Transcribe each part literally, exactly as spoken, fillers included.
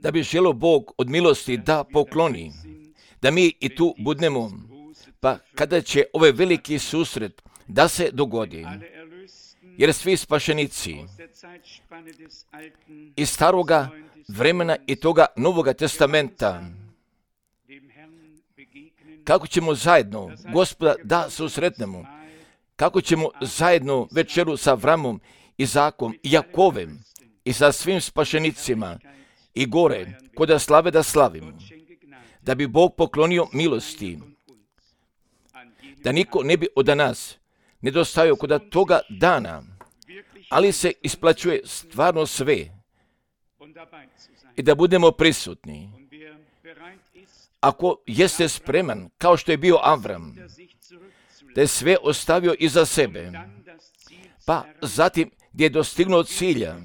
da bi želio Bog od milosti da pokloni, da mi i tu budemo, pa kada će ovaj veliki susret da se dogodi, jer svi spašenici iz staroga vremena i toga Novoga testamenta, kako ćemo zajedno Gospoda da susretnemo, kako ćemo zajedno večeru sa Avramom, Izakom i Jakovem i sa svim spašenicima i gore kod slave da slavimo, da bi Bog poklonio milosti, da niko ne bi od nas nedostajao kod toga dana, ali se isplaćuje stvarno sve i da budemo prisutni. Ako jeste spreman, kao što je bio Avram, da je sve ostavio iza sebe, pa zatim gdje je dostignuo cilja,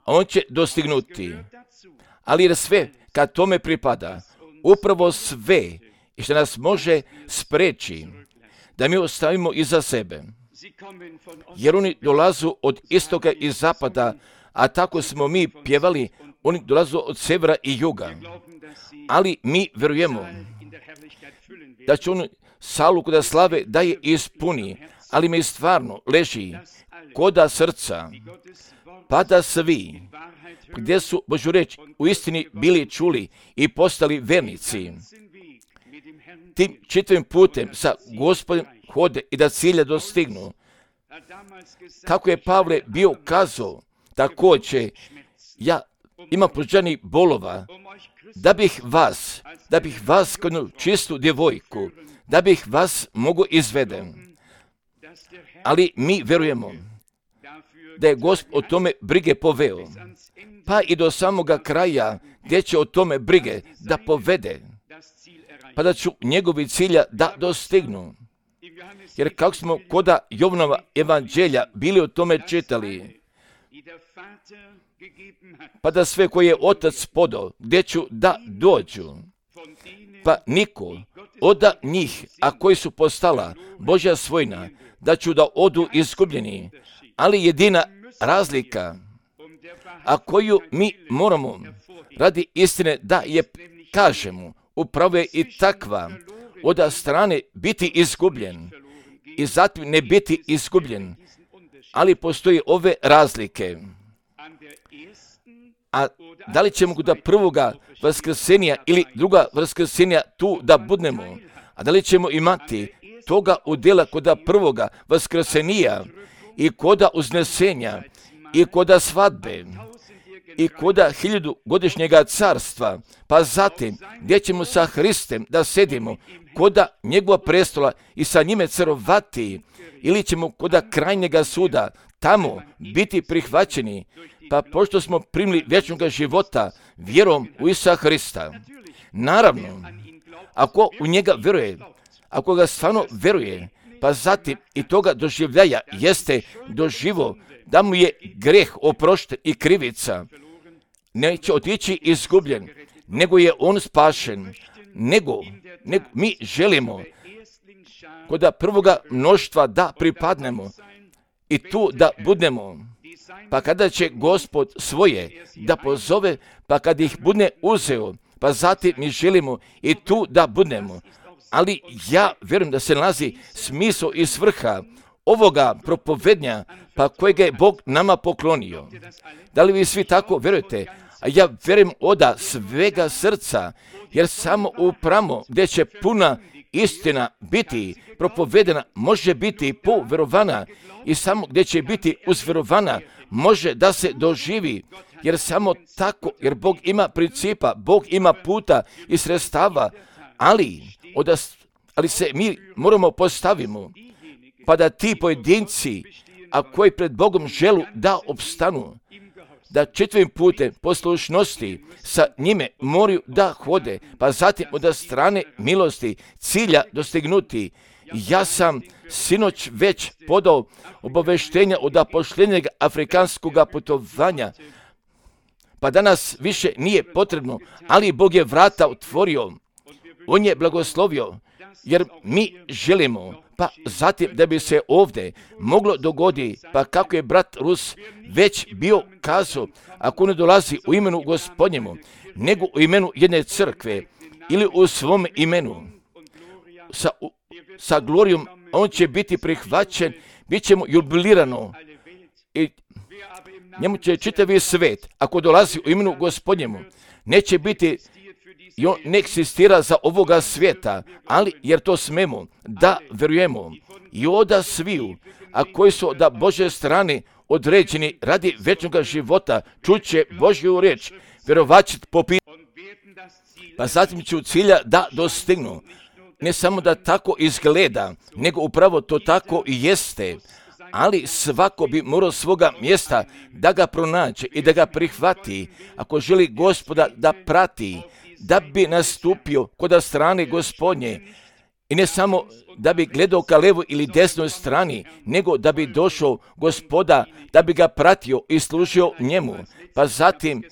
a on će dostignuti, ali jer sve kad tome pripada, upravo sve i što nas može spreči da mi ostavimo iza sebe, jer oni dolazu od istoka i zapada, a tako smo mi pjevali, oni dolazu od severa i juga, ali mi vjerujemo da će on salu koda slave da je ispuni, ali mi stvarno leži koda srca, pa da svi, gdje su Božju reč u istini bili čuli i postali vernici, tim čitavim putem sa Gospodom hode i da cilja dostignu. Kako je Pavle bio kazao, također ja imam prođanih bolova, da bih vas, da bih vas kao jednu čistu djevojku, da bih vas mogu izveden. Ali mi vjerujemo da je Gospod o tome brige poveo, pa i do samoga kraja gdje će o tome brige da povede, pa da ću njegovi cilja da dostignu. Jer kako smo koda Jovanova evanđelja bili o tome čitali, pa da sve koje je Otac podao, gdje ću da dođu, pa niko od njih, a koji su postala Božja svojina, da ću da odu izgubljeni, ali jedina razlika, a koju mi moramo radi istine da je kažemo, upravo je i takva, od strane biti izgubljen i zatim ne biti izgubljen, ali postoji ove razlike. A da li ćemo kod prvoga vaskrsenja ili druga vaskrsenja tu da budemo, a da li ćemo imati toga udjela kod prvoga vaskrsenija i koda uznesenja i koda svadbe i koda hiljadu godišnjega carstva, pa zatim gdje ćemo sa Hristem da sedimo koda njegova prestola i sa njime carovati, ili ćemo koda krajnjega suda tamo biti prihvaćeni, pa pošto smo primili vječnog života vjerom u Isusa Hrista. Naravno, ako u njega vjeruje, ako ga stvarno vjeruje, pa zatim i toga doživljaja jeste doživo da mu je greh oprošten i krivica, neće otići izgubljen, nego je on spašen, nego, nego mi želimo kod prvoga mnoštva da pripadnemo i tu da budemo, pa kada će Gospod svoje da pozove, pa kad ih bude uzeo, pa zatim mi želimo i tu da budemo. Ali ja vjerujem da se nalazi smisao i svrha ovoga propovednja, pa kojega je Bog nama poklonio. Da li vi svi tako vjerujete? A ja vjerujem oda svega srca, jer samo upravo gdje će puna istina biti propovedena, može biti povjerovana, i samo gdje će biti uzvjerovana, može da se doživi, jer samo tako, jer Bog ima principa, Bog ima puta i sredstava, ali, oda, ali se mi moramo postavimo, pa da ti pojedinci, a koji pred Bogom želu da opstanu, da čitavim putem poslušnosti sa njime moraju da hode, pa zatim od strane milosti cilja dostignuti. Ja sam sinoć već podao obaveštenja od pošljenjeg afrikanskog putovanja, pa danas više nije potrebno, ali Bog je vrata otvorio, on je blagoslovio, jer mi želimo, pa zatim da bi se ovdje moglo dogoditi, pa kako je brat Rus već bio kazao, ako ne dolazi u imenu Gospodnjemu, nego u imenu jedne crkve ili u svom imenu, sa, sa glorijom, on će biti prihvaćen, bit će mu jubilirano i njemu će čitavi svet, ako dolazi u imenu Gospodnjemu, neće biti i on ne eksistira za ovoga svijeta, ali jer to smemo da verujemo i oda sviju, a koji su da Božje strane određeni radi večnog života, čuće Božju riječ, vjerovat će po pitanju, pa zatim će u cilja da dostignu. Ne samo da tako izgleda, nego upravo to tako i jeste, ali svako bi morao svoga mjesta da ga pronađe i da ga prihvati, ako želi Gospoda da prati, da bi nastupio kod strane Gospodnje i ne samo da bi gledao ka levoj ili desnoj strani, nego da bi došao Gospoda, da bi ga pratio i služio njemu. Pa zatim,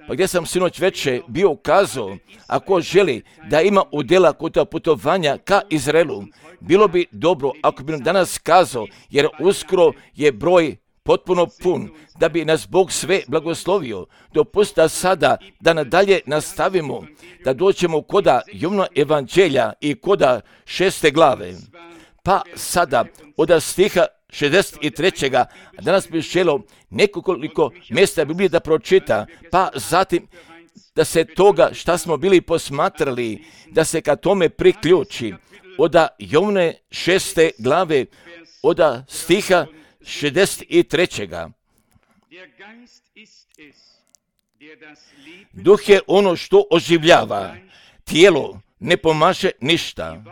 pa gdje sam sinoć večer bio ukazao, ako želi da ima udjela kod putovanja ka Izraelu, bilo bi dobro ako bi nam danas kazao, jer uskoro je broj potpuno pun, da bi nas Bog sve blagoslovio. Dopustite da sada, da nadalje nastavimo, da dođemo koda Jovnova evanđelja i koda šeste glave. Pa sada, od stiha šezdeset trećeg. A danas bih želio nekoliko mjesta Biblije da pročita, pa zatim da se toga šta smo bili posmatrali, da se ka tome priključi. Od Jovne šeste glave, od stiha šezdeset trećeg. Duh je ono što oživljava, tijelo ne pomaže ništa.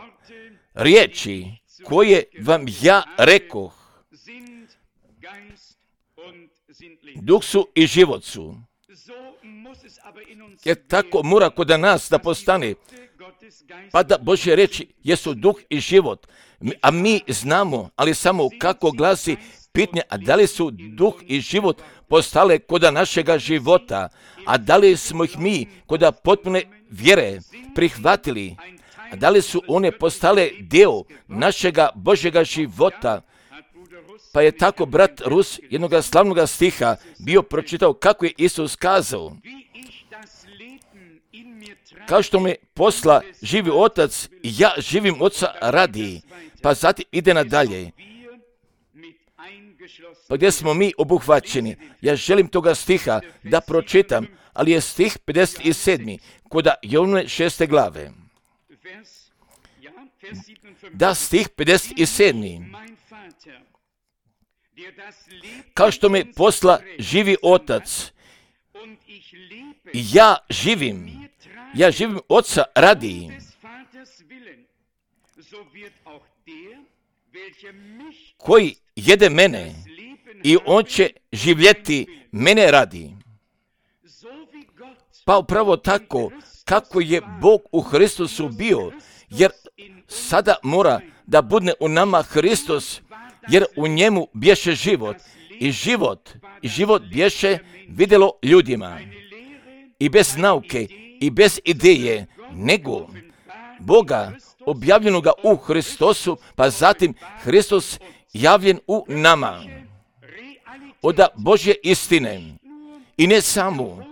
Riječi koje vam ja rekoh, duh su i život su. Jer tako mora kod nas da postane, pa da Božje reči jesu duh i život, a mi znamo, ali samo kako glasi pitanje, a da li su duh i život postale kod našega života, a da li smo ih mi kod potpune vjere prihvatili, a da li su one postale dio našega Božjega života. Pa je tako brat Rus jednog slavnog stiha bio pročitao kako je Isus kazao: kao što me posla živi otac, ja živim oca radi. Pa zatim ide nadalje. Pa gdje smo mi obuhvaćeni? Ja želim toga stiha da pročitam, ali je stih pedeset sedam kod Jovne šeste glave. Da, stih pedeset sedam. Kao što me posla živi otac, ja živim, ja živim oca radi. Koji jede mene i on će živjeti mene radi. Pa upravo tako kako je Bog u Hristusu bio, jer sada mora da bude u nama Hristos, jer u njemu bješe život i život i život bješe vidjelo ljudima i bez nauke i bez ideje, nego Boga objavljenoga u Hristosu, pa zatim Hristos javljen u nama. Od Božje istine i ne samo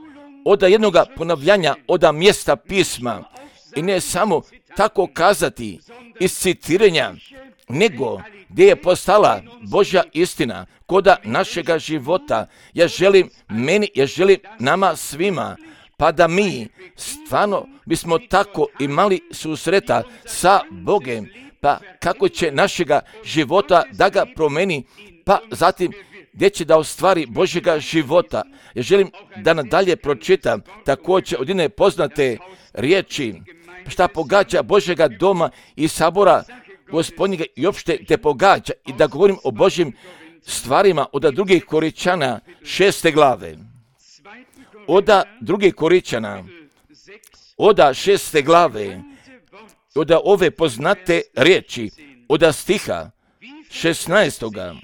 od jednog ponavljanja od mjesta pisma i ne samo tako kazati iz citiranja, nego gdje je postala Božja istina koda našega života. Ja želim meni, ja želim nama svima, pa da mi stvarno bismo tako imali susreta sa Bogem, pa kako će našega života da ga promeni, pa zatim gdje će da ostvari Božjega života. Ja želim da nadalje pročitam također od jedne poznate riječi, šta pogađa Božjega doma i sabora Gospodnjega i opšte te pogađa, i da govorim o Božjim stvarima od drugih Koričana šeste glave. Od drugih Koričana, od šeste glave, od ove poznate riječi, od stiha šesnaestoga.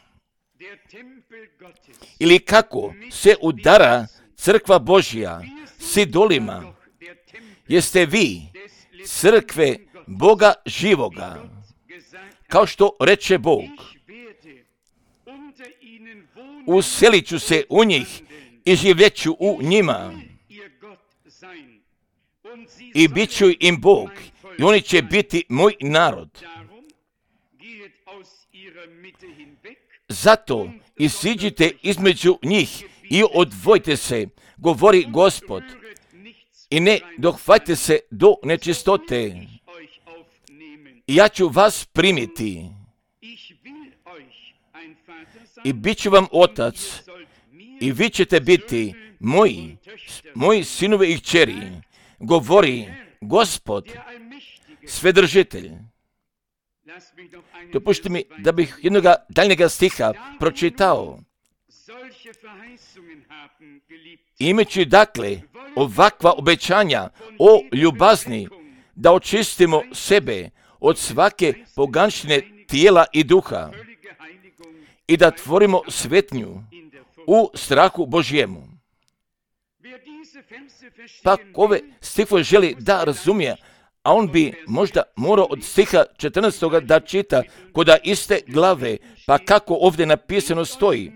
Ili kako se udara crkva Božja s idolima, jeste vi crkve Boga živoga, kao što reče Bog. Uselit ću se u njih i živjet ću u njima. I bit ću im Bog i oni će biti moj narod. Zato isiđite između njih i odvojite se, govori Gospod, i ne dohvatite se do nečistote. I ja ću vas primiti i bit ću vam otac i vi ćete biti moji, moji sinovi i kćeri, govori Gospod, Svedržitelj. Dopušti mi da bih jednoga daljnjega stiha pročitao. Imajući dakle ovakva obećanja o ljubazni, da očistimo sebe od svake poganštine tijela i duha i da tvorimo svetnju u strahu Božjemu. Pa ove stihove želi da razumije, a on bi možda morao od stiha četrnaestog da čita koda iste glave, pa kako ovdje napisano stoji.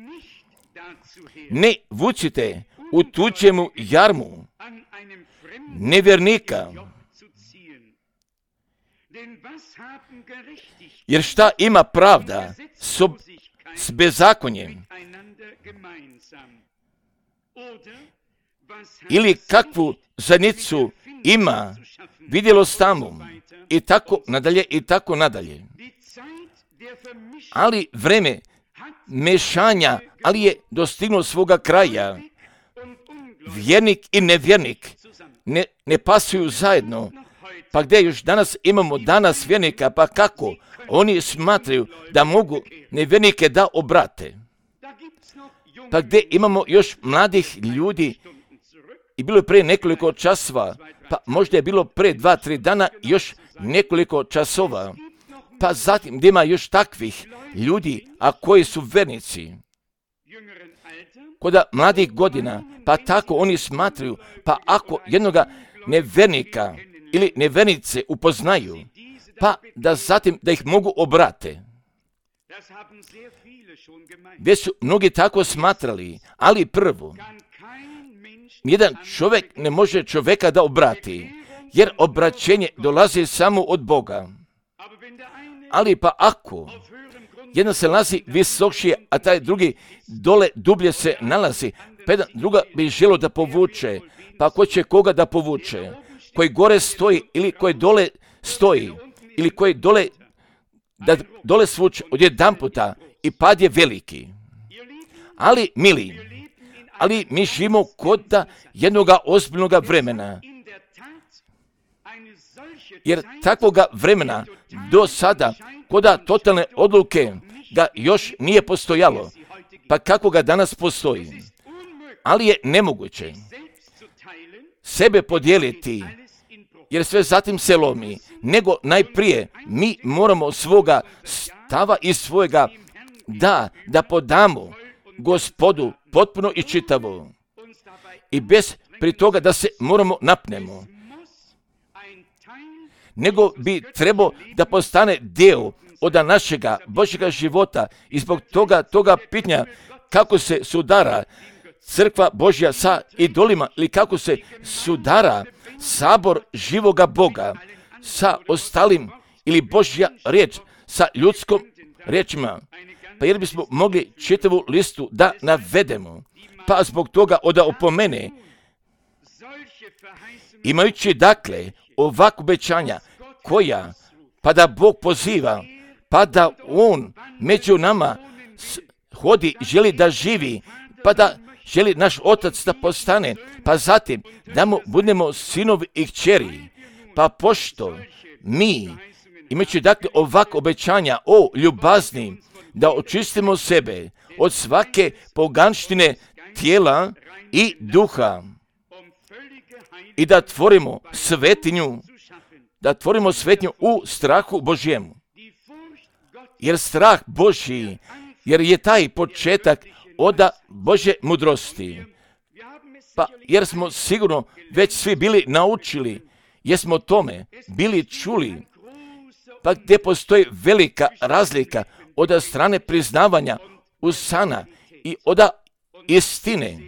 Ne vucite u tuđemu jarmu nevjernika, jer šta ima pravda s, ob- s bezakonjem? Ili kakvu zajednicu ima vidjelost tamo, i tako nadalje, i tako nadalje. Ali vreme mešanja, ali je dostignuo svoga kraja. Vjernik i nevjernik ne, ne pasuju zajedno. Pa gdje još danas imamo danas vjernika, pa kako? Oni smatraju da mogu nevjernike da obrate. Pa gdje imamo još mladih ljudi, i bilo je prije nekoliko časova, pa možda je bilo prije dva, tri dana još nekoliko časova, pa zatim gdje ima još takvih ljudi, a koji su vernici. Koda mladih godina, pa tako oni smatraju, pa ako jednoga nevernika ili nevernice upoznaju, pa da zatim da ih mogu obrate. Gdje su mnogi tako smatrali, ali prvo, jedan čovjek ne može čovjeka da obrati, jer obraćenje dolazi samo od Boga. Ali pa ako jedan se nalazi visokšije, a taj drugi dole dublje se nalazi, pa jedan druga bi želio da povuče, pa ko će koga da povuče? Koji gore stoji ili koji dole stoji, ili koji dole, da dole svuče od jedan puta i pad je veliki. Ali, mili, ali mi živimo kod jednoga ozbiljnoga vremena. Jer takvoga vremena do sada, koda totalne odluke ga još nije postojalo, pa kako ga danas postoji. Ali je nemoguće sebe podijeliti, jer sve zatim se lomi, nego najprije mi moramo svoga stava i svojega da, da podamo Gospodu potpuno i čitavo. I bez pri toga da se moramo napnemo. Nego bi trebao da postane dio od našega Božjega života i zbog toga, toga pitanja kako se sudara crkva Božja sa idolima ili kako se sudara sabor živoga Boga sa ostalim ili Božja riječ sa ljudskom riječima. Pa jer bismo mogli čitavu listu da navedemo, pa zbog toga oda opomene, imajući dakle ovakvu obećanja koja, pa da Bog poziva, pa da On među nama hodi, želi da živi, pa da želi naš Otac da postane, pa zatim da mu budemo sinovi i kćeri, pa pošto mi, imajući dakle ovakva obećanja o ljubazni, da očistimo sebe od svake poganštine tijela i duha i da tvorimo svetinju, da tvorimo svetinju u strahu Božjemu. Jer strah Božji, jer je taj početak od Božje mudrosti. Pa jer smo sigurno već svi bili naučili, jer smo tome bili čuli pa gdje postoji velika razlika od strane priznavanja usana i od istine.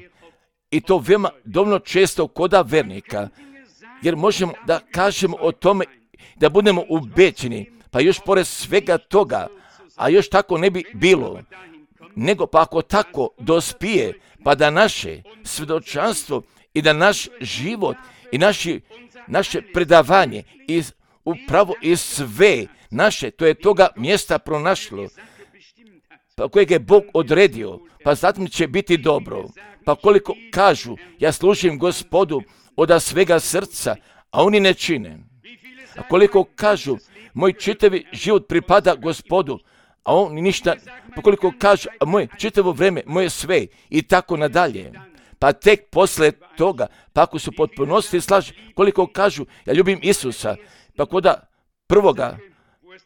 I to veoma dovoljno često koda vernika, jer možemo da kažemo o tome, da budemo ubeđeni, pa još pored svega toga, a još tako ne bi bilo, nego pa ako tako dospije, pa da naše svjedočanstvo i da naš život i naši, naše predavanje i upravo i sve naše, to je toga mjesta pronašlo, pa kojeg je Bog odredio, pa zatim će biti dobro. Pa koliko kažu, ja služim Gospodu od svega srca, a oni ne čine. A koliko kažu, moj čitavi život pripada Gospodu, a oni ništa, pa koliko kažu, a moje čitavo vreme, moje sve, i tako nadalje. Pa tek posle toga, pa ako su potpunosti slaži, koliko kažu, ja ljubim Isusa, pa koda prvoga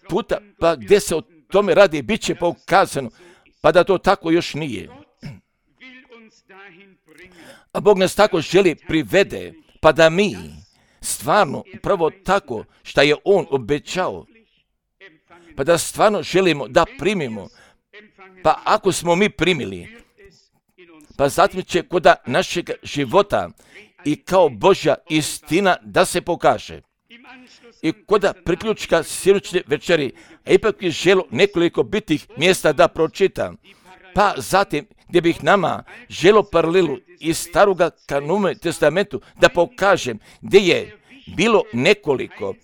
puta, pa gdje se o tome radi, bit će pokazano, pa da to tako još nije. A Bog nas tako želi privede, pa da mi stvarno upravo tako što je On obećao, pa da stvarno želimo da primimo, pa ako smo mi primili, pa zatim će kod našeg života i kao Božja istina da se pokaže. I kod priključka sinoćne večeri, a ipak je želo nekoliko bitih mjesta da pročitam, pa zatim gdje bih nama želo paralelu iz staroga kanuna testamentu da pokažem gdje je bilo nekoliko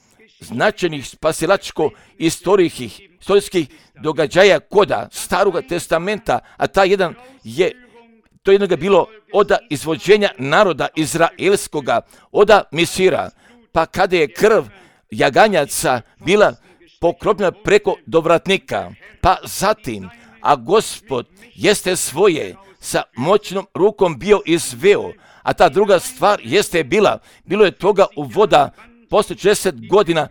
značajnih spasilačko-istorijskih istorijskih događaja koda staroga testamenta, a ta jedan je, to jednoga bilo od izvođenja naroda izraelskoga, od Misira, pa kada je krv jaganjaca bila pokropljena preko dovratnika, pa zatim, a Gospod jeste svoje sa moćnom rukom bio izveo, a ta druga stvar jeste bila, bilo je toga u voda posle četrdeset godina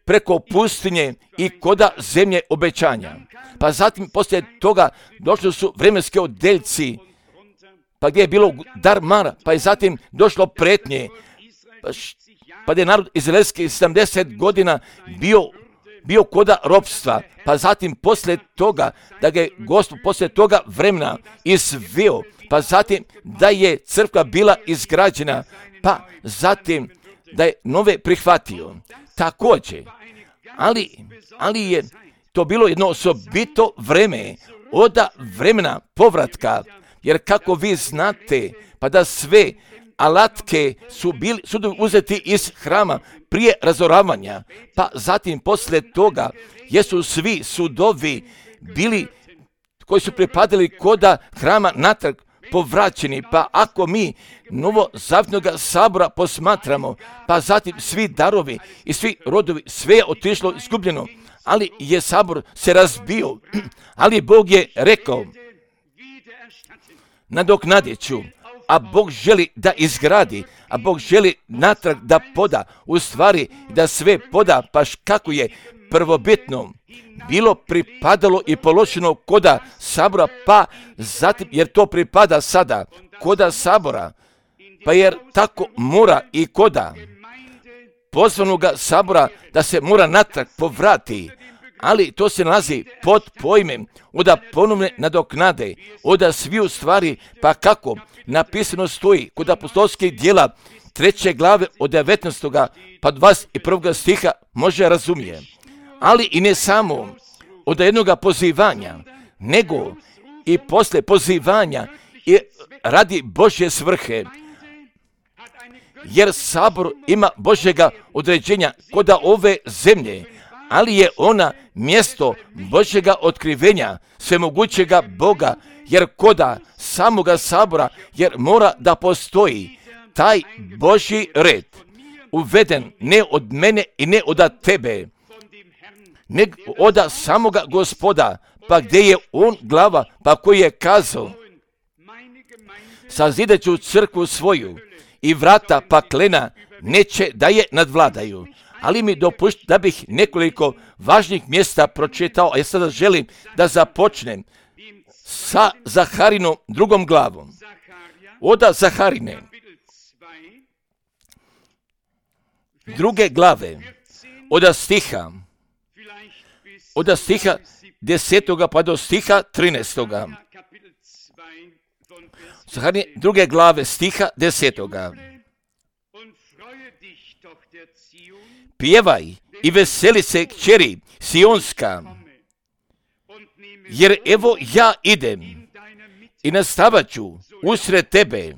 preko pustinje i koda zemlje obećanja. Pa zatim poslije toga došli su vremenski odeljci, pa gdje je bilo dar mara, pa je zatim došlo pretnje, pa, pa gdje je narod izraelski sedamdeset godina bio bio koda ropstva, pa zatim poslije toga, da ga je Gospod poslije toga vremena izveo, pa zatim da je crkva bila izgrađena, pa zatim da je nove prihvatio. Također, ali, ali je to bilo jedno osobito vreme od vremena povratka, jer kako vi znate, pa da sve alatke su bili su uzeti iz hrama prije razoravanja, pa zatim poslije toga jesu svi sudovi bili koji su pripadali koda hrama natrag povraćeni, pa ako mi novozavjetnog sabora posmatramo, pa zatim svi darovi i svi rodovi, sve je otišlo izgubljeno, ali je sabor se razbio, ali Bog je rekao, nadoknadit ću, a Bog želi da izgradi, a Bog želi natrag da poda, u stvari da sve poda, pa kako je prvobitno bilo pripadalo i položeno koda sabora, pa zatim, jer to pripada sada koda sabora, pa jer tako mora i koda pozvanoga sabora da se mora natrag povrati, ali to se nalazi pod pojmem oda ponovne nadoknade, oda svi u stvari, pa kako napisano stoji kod apostolskih djela treće glave od devetnaestog pa dvadeset prvog stiha može razumije. Ali i ne samo od jednoga pozivanja, nego i posle pozivanja i radi Božje svrhe, jer sabor ima Božjega određenja kod ove zemlje, ali je ona mjesto Božjega otkrivenja svemogućega Boga, jer koda samoga sabora, jer mora da postoji taj Božji red, uveden ne od mene i ne od tebe, nego od samoga Gospoda, pa gdje je on glava, pa koji je kazao, sazidat ću crkvu svoju i vrata paklena neće da je nadvladaju. Ali mi dopušti da bih nekoliko važnih mjesta pročitao, a ja sada želim da započnem sa Zaharinom drugom glavom. Od Zaharine druge glave, od stiha od stiha desetoga pa do stiha trinaestoga. Zaharije druge glave stiha desetoga. Pjevaj i veseli se kćeri Sionska, jer evo ja idem i nastavat ću usred tebe,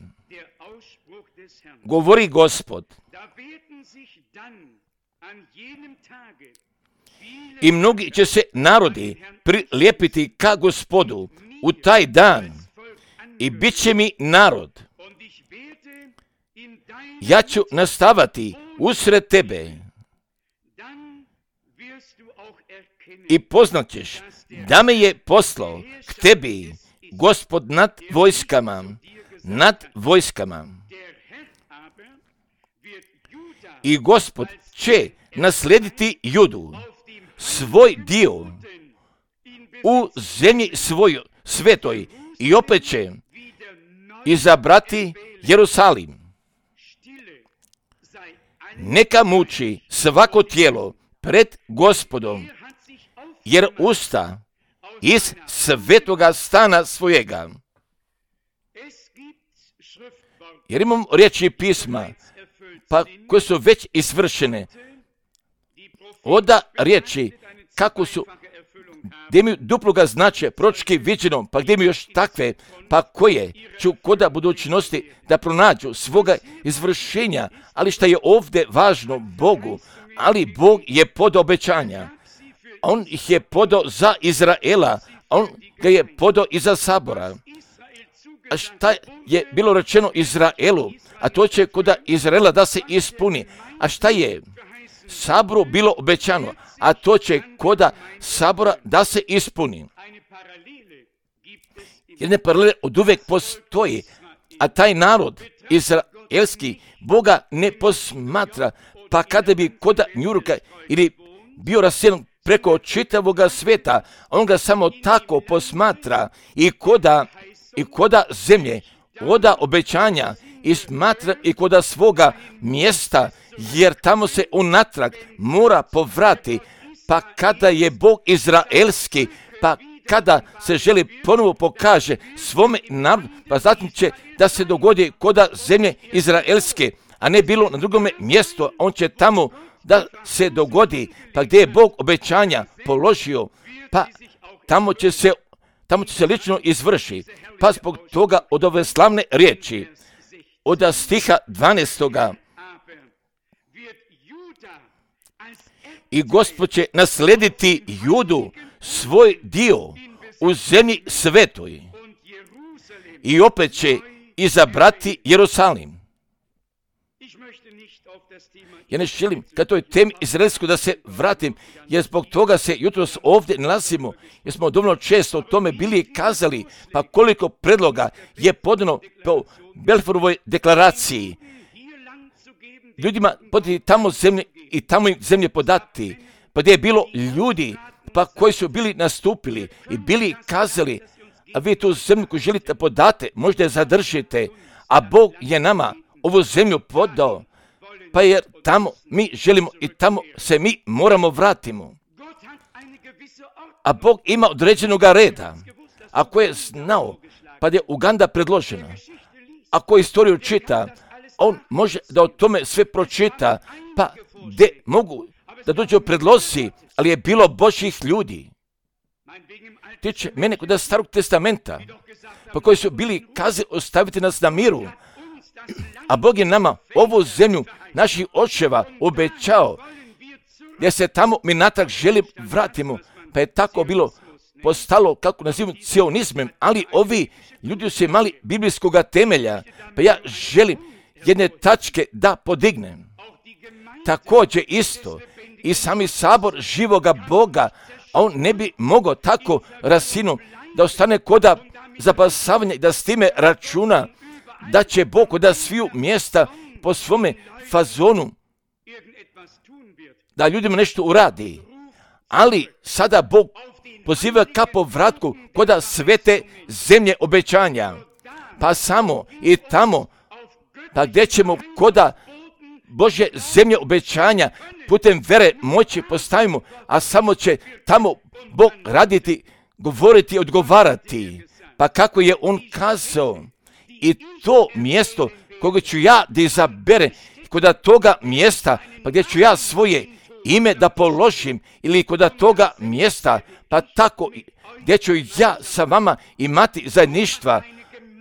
govori Gospod. I mnogi će se narodi prilijepiti ka Gospodu u taj dan i bit će mi narod. Ja ću nastavati usred tebe i poznat ćeš da me je poslao k tebi Gospod nad vojskama, nad vojskama. I Gospod će naslediti Judu, svoj dio u zemlji svojoj svetoj, i opet će izabrati Jerusalim. Neka muči svako tijelo pred Gospodom, jer usta iz svetoga stana svojega. Jer imamo riječi pisma, pa koje su već isvršene. Oda riječi kako su, gdje imaju duploga značaja, proročki viđeno, pa gdje imaju još takve, pa koje ću koda budućnosti da pronađu svoga izvršenja. Ali šta je ovdje važno Bogu, ali Bog je podao obećanja. On ih je podao za Izraela, on ga je podao i za Sabora. A šta je bilo rečeno Izraelu, a to će koda Izraela da se ispuni. A šta je Saboru bilo obećano, a to će koda Sabora da se ispuni. Jedne paralele od uvek postoji, a taj narod izraelski Boga ne posmatra, pa kada bi koda Njurka ili bio raseljen preko čitavoga sveta, on ga samo tako posmatra i koda, i koda zemlje, oda obećanja i smatra i koda svoga mjesta, jer tamo se unatrag mora povrati, pa kada je Bog izraelski, pa kada se želi ponovo pokaže svome narodu, pa zatim će da se dogodi koda zemlje izraelske, a ne bilo na drugome mjestu, on će tamo da se dogodi, pa gdje je Bog obećanja položio, pa tamo će se, tamo će se lično izvrši. Pa zbog toga od ove slavne riječi, od stiha dvanaestoga, i Gospod će naslediti Judu, svoj dio u zemlji svetoj, i opet će izabrati Jerusalim. Ja ne želim ka toj temi izraelskoj da se vratim, jer zbog toga se jutros ovdje nalazimo, jer smo dovoljno često o tome bili kazali, pa koliko predloga je podano po Balfourovoj deklaraciji. Ljudima podati tamo zemlje i tamo im zemlje podati, pa gdje je bilo ljudi pa koji su bili nastupili i bili kazali, a vi tu zemlju koju želite podate, možda je zadržite, a Bog je nama ovu zemlju podao, pa jer tamo mi želimo i tamo se mi moramo vratimo. A Bog ima određenoga reda. Ako je znao, pa je Uganda predložena, ako istoriju čita, on može da o tome sve pročita, pa gdje mogu da dođu predlozi, ali je bilo Božjih ljudi. Tiče mene kod Starog testamenta, pa koji su bili kazali ostaviti nas na miru, a Bog je nama ovu zemlju naših očeva obećao, gdje se tamo mi natrag želi vratimo, pa je tako bilo postalo, kako nazivamo, cionizmem, ali ovi ljudi su imali biblijskog temelja, pa ja želim jedne tačke da podignem. Također isto i sami sabor živoga Boga, a on ne bi mogao tako rasinu da ostane koda zapasavanja i da s time računa da će Bog koda sviju mjesta po svome fazonu da ljudima nešto uradi. Ali sada Bog poziva ka povratku koda svete zemlje obećanja. Pa samo i tamo, pa gdje ćemo koda Božje zemlje obećanja putem vere moći postavimo, a samo će tamo Bog raditi, govoriti, odgovarati. Pa kako je on kazao, i to mjesto koga ću ja da izabere, kod toga mjesta, pa gdje ću ja svoje ime da položim, ili kod toga mjesta, pa tako gdje ću ja sa vama imati zajedništva,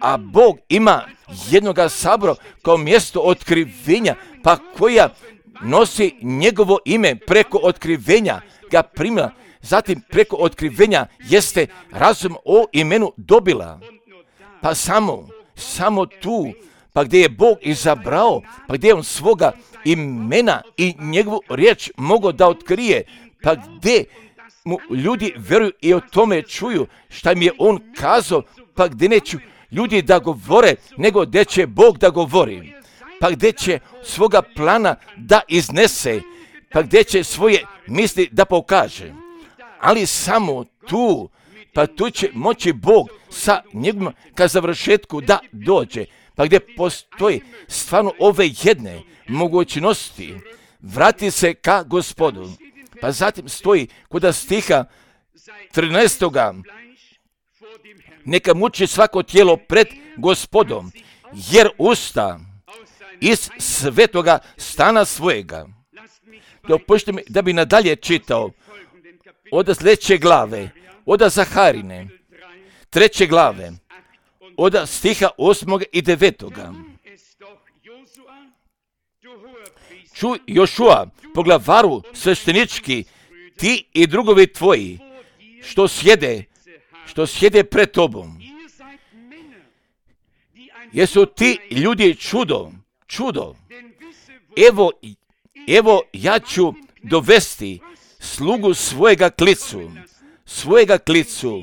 a Bog ima jednoga sabora kao mjesto otkrivenja, pa koja nosi njegovo ime preko otkrivenja, ga primila, zatim preko otkrivenja jeste razum o imenu dobila, pa samo, samo tu, pa gdje je Bog izabrao, pa gdje je on svoga imena i njegovu riječ mogao da otkrije, pa gdje mu ljudi vjeruju i o tome čuju šta mi je on kazao, pa gdje neću ljudi da govore, nego gdje će Bog da govori, pa gdje će svoga plana da iznese, pa gdje će svoje misli da pokaže. Ali samo tu, pa tu će moći Bog sa njegovim ka završetku da dođe, pa gdje postoji stvarno ove jedne mogućnosti, vrati se ka Gospodu. Pa zatim stoji kod stiha trinaestoga neka muči svako tijelo pred Gospodom, jer usta iz svetoga stana svojega. Dopušte mi da bi nadalje čitao od sljedeće glave, od Zaharine, treće glave, od stiha osmog i devetoga. Čuj Jošua, poglavaru sveštenički, ti i drugovi tvoji, što sjede, što sjede pred tobom. Jesu ti ljudi čudo, čudo. Evo, evo ja ću dovesti slugu svojega klicu, svojega klicu,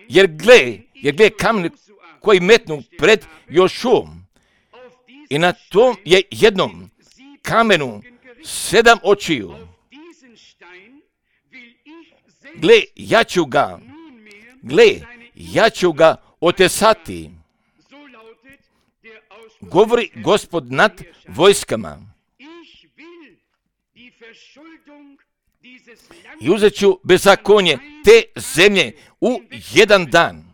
jer gle, jer gle kamen koji metnu pred Jošuom, i na tom je jednom kamenu sedam očiju. Gle, ja ću ga, gle, ja ću ga otesati, govori Gospod nad vojskama. I uzet ću bezakonje te zemlje u jedan dan.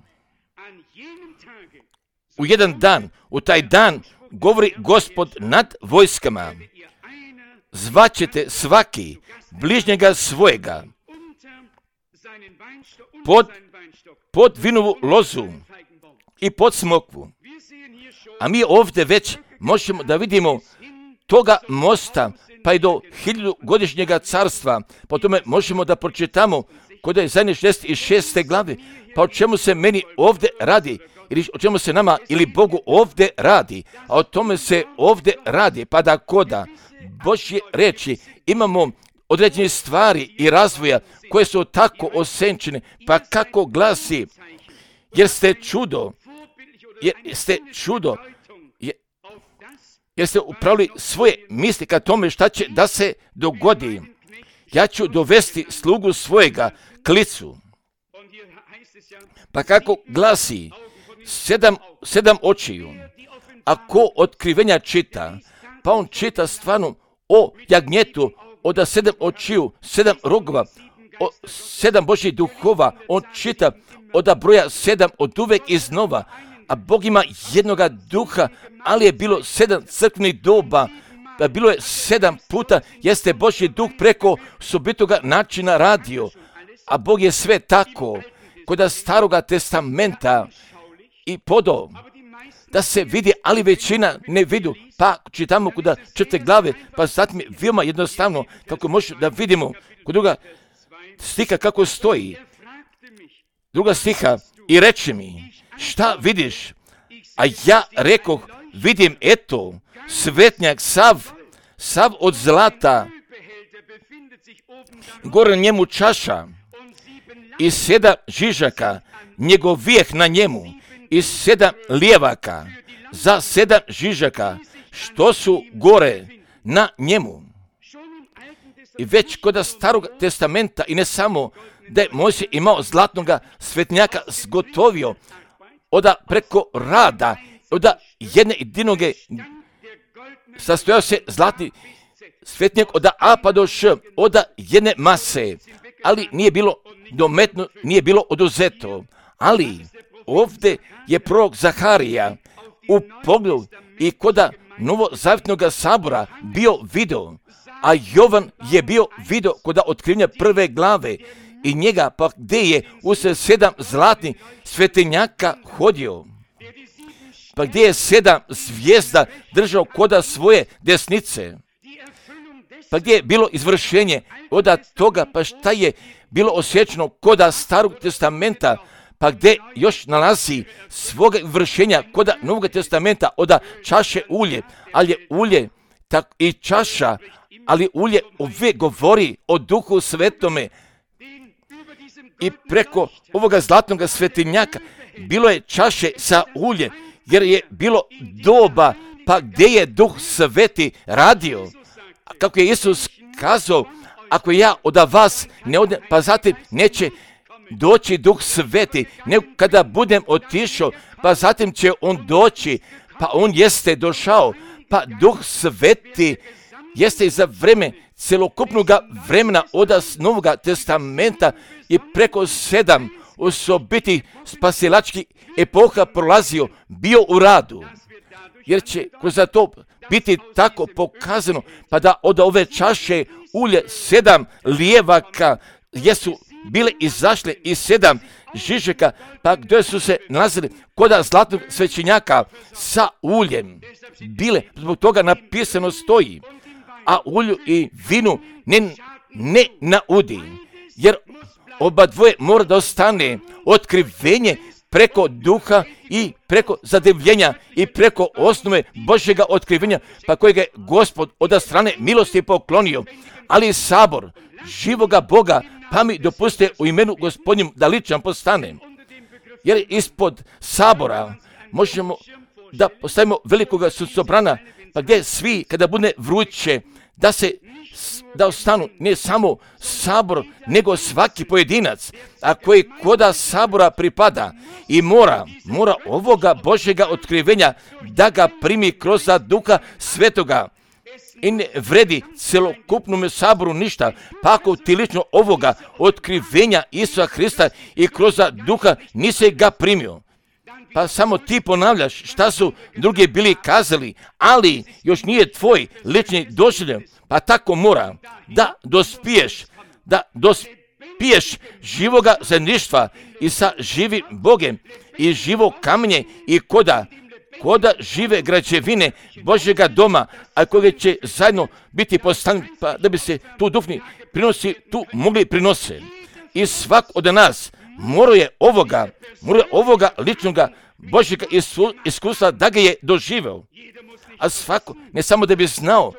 U jedan dan, u taj dan, govori Gospod nad vojskama. Zvaćete svaki bližnjega svojega pod, pod vinovu lozu i pod smokvu. A mi ovdje već možemo da vidimo toga mosta, pa i do hiljadugodišnjega carstva. Po tome možemo da pročitamo kod je zadnje šezdeset šeste glave, pa o čemu se meni ovdje radi, ili o čemu se nama ili Bogu ovdje radi, a o tome se ovdje radi, pa da koda Božje reči imamo određene stvari i razvoja koje su tako osenčene, pa kako glasi, jer ste čudo, jer ste čudo, jer, jer ste upravili svoje misli ka tome šta će da se dogodi. Ja ću dovesti slugu svojega klicu. Pa kako glasi, sedam, sedam očiju, a ko otkrivenja čita, pa on čita stvarno o jagnjetu, od sedam očiju, sedam rogova, o sedam Božjih duhova, on čita od broja sedam od uvek iznova, a Bog ima jednoga duha, ali je bilo sedam crkvenih doba, bilo je sedam puta, jeste Božji duh preko sobitoga načina radio, a Bog je sve tako, kod staroga testamenta i podo, da se vidi, ali većina ne vidu, pa čitamo kod četvrte glave, pa zatim je veoma jednostavno, kako možemo da vidimo kod druga stiha kako stoji. Druga stiha, i reče mi, šta vidiš? A ja rekoh, vidim eto, svetnjak sav, sav od zlata, gore njemu čaša, i sedam žižaka, njegov vijeh na njemu, i sedam lijevaka, za sedam žižaka, što su gore na njemu. I već kod starog testamenta, i ne samo da je Mojsije imao zlatnoga svetnjaka zgotovio, oda preko rada, oda jedne jedinoge sastojao se zlatni svetinjak od A pa do Š, od jedne mase, ali nije bilo dometno, nije bilo oduzeto. Ali ovdje je prorok Zaharija u pogledu i koda novozavjetnog sabora bio video, a Jovan je bio video koda otkrivenja prve glave i njega pa gdje je usred sedam zlatnih svetinjaka hodio, pa gdje je sedam zvijezda držao koda svoje desnice, pa gdje je bilo izvršenje od toga, pa šta je bilo osjećano koda Starog testamenta, pa gdje još nalazi svoga vršenja koda Novog testamenta od čaše ulje, ali je ulje tak i čaša, ali ulje uvijek govori o Duhu Svetome. I preko ovoga zlatnog svetinjaka bilo je čaše sa ulje, jer je bilo doba pa gdje je Duh Sveti radio. Kako je Isus kazao, ako ja od vas ne odem, pa zatim neće doći Duh Sveti, nego kada budem otišao, pa zatim će on doći, pa on jeste došao, pa Duh Sveti jeste i za vreme celokupnog vremena od Novog testamenta i preko sedam osobitih spasilačkih epoha prolazio, bio u radu. Jer će kroz to biti tako pokazano, pa da od ove čaše ulje sedam lijevaka jesu bile izašle i sedam žižeka, pa gdje su se nalazili koda zlatnog svećenjaka sa uljem. Bile, zbog toga napisano stoji, a ulju i vinu ne, ne naudi, jer oba dvoje mora da ostane otkrivenje preko duha i preko zadivljenja i preko osnove Božjega otkrivenja, pa kojega je Gospod od strane milosti poklonio. Ali sabor živoga Boga, pa mi dopuste u imenu Gospodnjem da ličan postane. Jer ispod sabora možemo da postavimo velikoga sucobrana, pa gdje svi kada bude vruće, da se da ostanu ne samo sabor, nego svaki pojedinac, a koji koda sabora pripada i mora, mora ovoga Božjega otkrivenja da ga primi kroz Duha Svetoga. I ne vredi celokupnom saboru ništa, pa ako ti lično ovoga otkrivenja Isusa Hrista i kroz Duha nisi ga primio, pa samo ti ponavljaš šta su drugi bili kazali, ali još nije tvoj lični doživljaj, pa tako mora da dospiješ, da dospiješ živoga zajedništva i sa živim Bogem i živo kamenje i koda, koda žive građevine Božjega doma, a koje će zajedno biti postavljeni, pa da bi se tu duhovni prinosi tu mogli prinose. I svak od nas mora je ovoga, mora je ovoga ličnoga Božjega iskustva da ga je doživeo. A svako, ne samo da bi znao,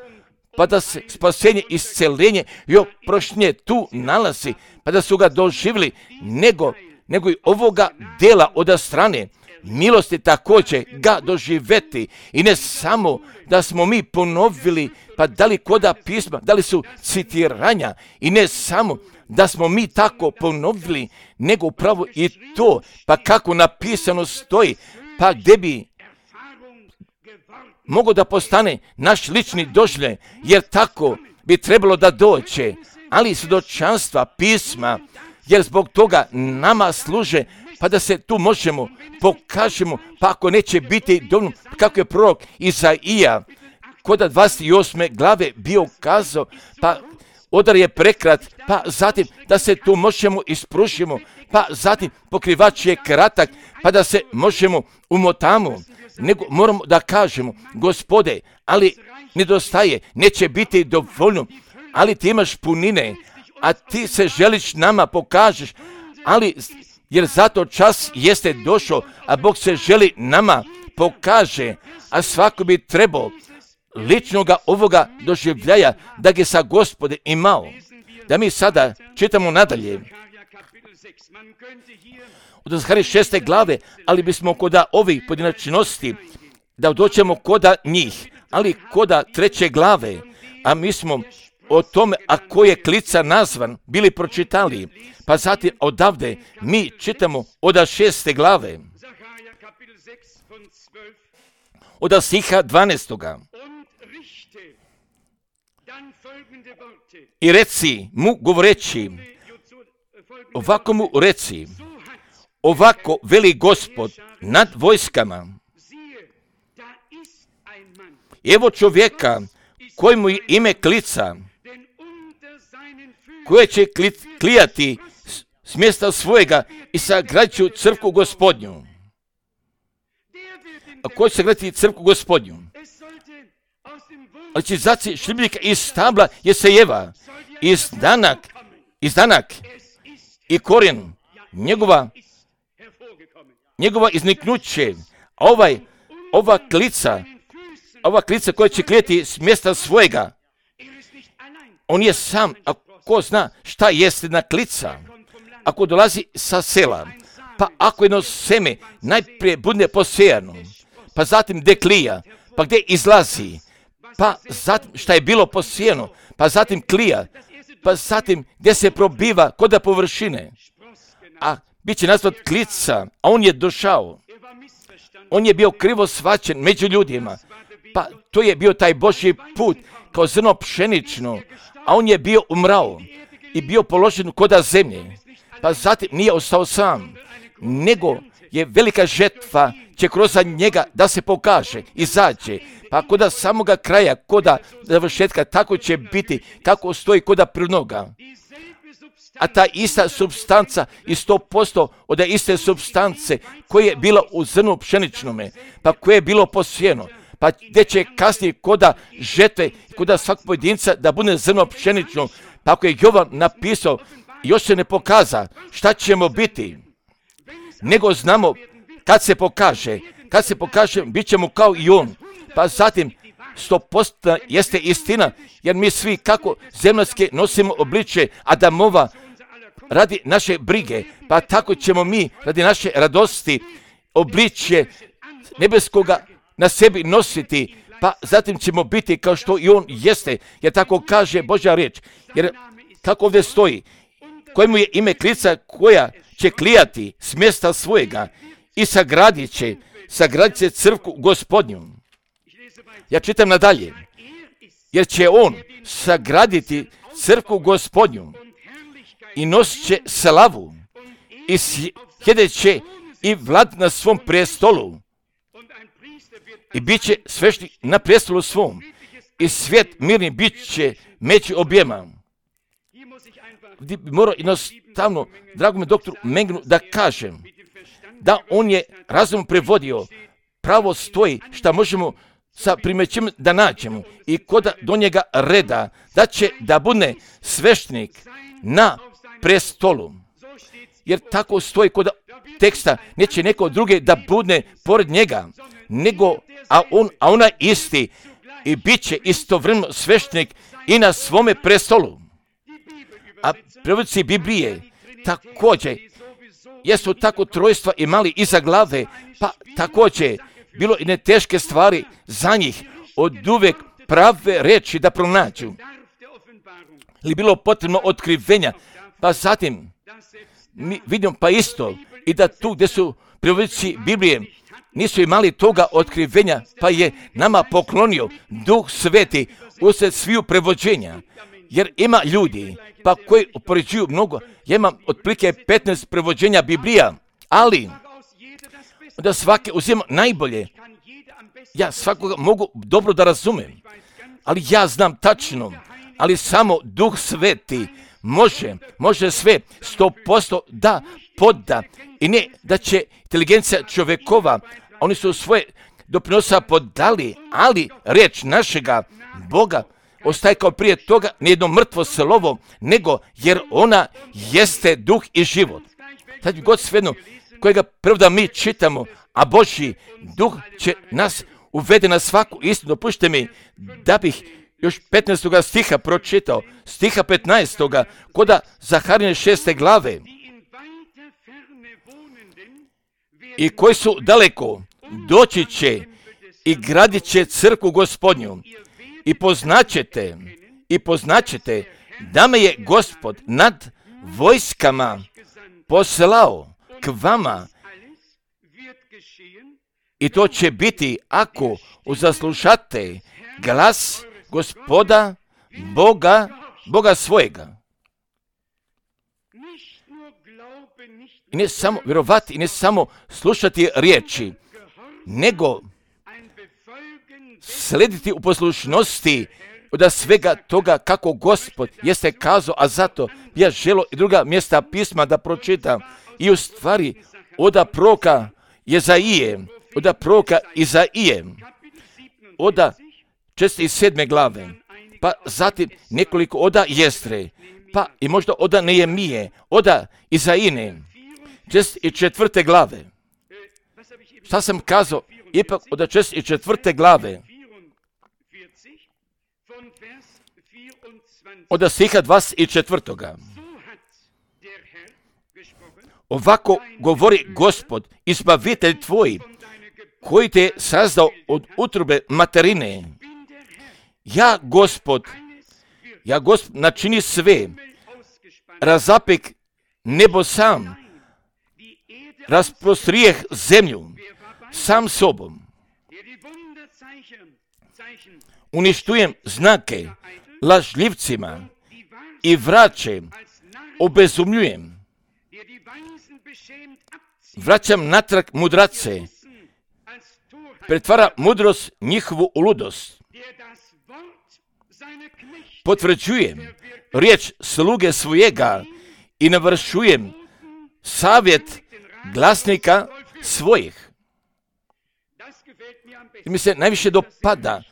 pa da se spasenje, isceljenje i oproštenje tu nalazi, pa da su ga doživjeli, nego, nego i ovoga dela od strane milosti također ga doživeti. I ne samo da smo mi ponovili, pa da li koda pisma, da li su citiranja, i ne samo da smo mi tako ponovili, nego upravo i to, pa kako napisano stoji, pa gdje bi mogo da postane naš lični doživljaj, jer tako bi trebalo da doće, ali svjedočanstva pisma, jer zbog toga nama služe, pa da se tu možemo pokažemo, pa ako neće biti dovoljno, kako je prorok Izaija kod dvadeset osme glave bio kazao, pa odar je prekrat, pa zatim da se tu možemo ispružimo, pa zatim pokrivač je kratak, pa da se možemo umotamo, nego moramo da kažemo, Gospode, ali nedostaje, neće biti dovoljno, ali ti imaš punine, a ti se želiš nama pokažeš, ali jer zato čas jeste došao, a Bog se želi nama pokaže, a svako bi trebao ličnoga ovoga doživljaja da ga sa Gospode imao. Da mi sada čitamo nadalje od Zaharije šeste glave, ali bismo koda ovih pojedinačnosti da doćemo koda njih, ali koda treće glave, a mi smo o tome, a ko je klica nazvan, bili pročitali, pa zatim odavde mi čitamo od šeste glave, od stiha dvanaestoga. I reci mu govoreći, ovako mu reci, ovako veli Gospod nad vojskama. Evo čovjeka kojemu je ime klica, koje će klijati s mjesta svojega i sagradit ću crkvu Gospodnju. A ko će sagraditi crkvu Gospodnju? Ali će zaci šljibnika iz stabla Jesejeva, iz danak, iz danak i korijen njegova, njegova izniknuće, a ovaj, ova klica, ova klica koja će klijeti s mjesta svojega, on je sam, a ko zna šta jeste na klica, ako dolazi sa sela, pa ako jedno seme najprije bude posejano, pa zatim deklija, pa gdje izlazi, pa zatim šta je bilo posijeno, pa zatim klija, pa zatim gdje se probiva kod površine, a bit će nazvat klica, a on je došao. On je bio krivo shvaćen među ljudima, pa to je bio taj Božji put kao zrno pšenično, a on je bio umrao i bio položen koda zemlje, pa zatim nije ostao sam, nego je velika žetva će kroz njega da se pokaže, izađe, pa koda samoga kraja, koda završetka, tako će biti, kako stoji koda prnoga. A ta ista substanca i sto posto od iste substance koje je bila u zrnu pšeničnome, pa koje je bilo posijeno, pa gdje će kasnije koda žetve, koda svakog pojedinca da bude zrno pšenično, pa ako je Jovan napisao, još se ne pokaza šta ćemo biti, nego znamo kad se pokaže, kad se pokaže, bit ćemo kao i on, pa zatim sto posto jeste istina, jer mi svi kako zemaljske nosimo obličje Adamova radi naše brige, pa tako ćemo mi radi naše radosti obličje nebeskoga na sebi nositi, pa zatim ćemo biti kao što i on jeste, jer tako kaže Božja riječ, jer kako ovdje stoji, kojemu je ime klica koja će klijati s mjesta svojega i sagradit će, sagradit će crkvu Gospodnju. Ja čitam nadalje, jer će on sagraditi crkvu Gospodnju i nosit će slavu i sjedet će i vlad na svom prestolu i bit će svešnik na prestolu svom i svijet mirni bit će među objema. Gdje bi morao jednostavno, dragome doktoru Mengnu, da kažem da on je razum prevodio, pravo stoji šta možemo sa primećem da nađemo i koda do njega reda, da će da bude sveštenik na prestolu. Jer tako stoji kod teksta, neće neko druge da bude pored njega, nego, a on, a ona isti i bit će istovremeno sveštenik i na svome prestolu. A prevodci Biblije također jesu tako trojstva imali iza glave, pa također bilo i ne teške stvari za njih od uvek prave reči da pronađu. Li bilo potrebno otkrivenja, pa zatim mi vidimo pa isto i da tu gdje su prevodnici Biblije nisu imali toga otkrivenja, pa je nama poklonio Duh Sveti usred sviju prevođenja. Jer ima ljudi pa koji upoređuju mnogo, ja imam otprilike petnaest prevođenja Biblija, ali da svake uzima najbolje. Ja svakoga mogu dobro da razumem, ali ja znam tačno, ali samo Duh Sveti može, može sve sto posto da podda i ne da će inteligencija čovjekova, oni su svoje doprinosa podali, ali riječ našega Boga ostaje kao prije toga nijedno mrtvo slovo, nego jer ona jeste duh i život. Sad god svejedno kojega prvo mi čitamo, a Božji duh će nas uvede na svaku istinu. Dopušte mi da bih još petnaestoga stiha pročitao, stiha petnaestoga koda Zaharine šeste glave. I koji su daleko doći će i gradit će crkvu Gospodnju i poznaćete, i poznaćete da me je Gospod nad vojskama poslao k vama i to će biti ako uzaslušate glas Gospoda Boga, Boga svojega. I ne samo vjerovati i ne samo slušati riječi, nego slediti u poslušnosti od svega toga kako Gospod jeste kazao, a zato ja želo i druga mjesta pisma da pročitam. I u stvari oda proroka Jezaije, oda proroka Izaije, oda četrdeset sedme glave, pa zatim nekoliko oda Jestre, pa i možda oda Nehemije, oda Izaine, četrdeset četvrte glave. Šta sam kazao? Ipak od četrdeset četvrte glave, od stiha dvadeset četvrtoga. Ovako govori Gospod, izbavitelj tvoj, koji te je sazdao od utrobe materine. Ja, Gospod, ja, Gospod, načini sve, razapek nebo sam, rasprostrijeh zemlju sam sobom, uništujem znake lažljivcima i vraće obezumljujem. Vraćam natrag mudrace, pretvara mudrost njihovu u ludost. Potvrđujem riječ sluge svojega i navršujem savjet glasnika svojih. I mi se najviše dopada,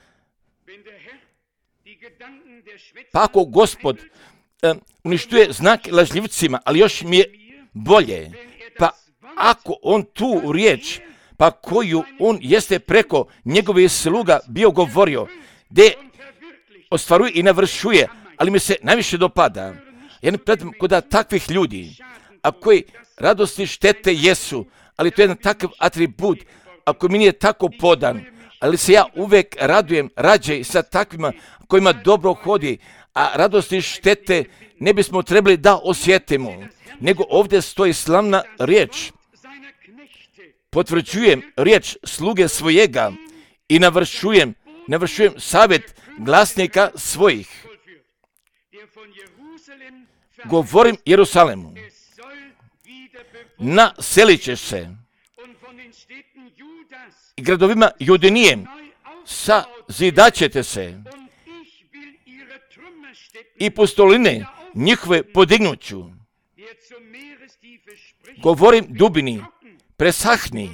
pa ako Gospod um, uništuje znak lažljivcima, ali još mi je bolje, pa ako on tu riječ, pa koju on jeste preko njegovih sluga bio govorio, gdje ostvaruje i navršuje, ali mi se najviše dopada. Ja ne predam kod takvih ljudi, a koji radosti štete jesu, ali to je jedan takav atribut, ako mi nije tako podan, ali se ja uvijek radujem rađe sa takvima kojima dobro hodi, a radosti štete ne bismo trebali da osjetimo, nego ovdje stoji slavna riječ. Potvrđujem riječ sluge svojega i navršujem, navršujem savjet glasnika svojih. Govorim Jerusalemu, naselit ćeš se i gradovima Judinijem, sazidaćete se i pustoline njihove podignuću. Govorim dubini, presahni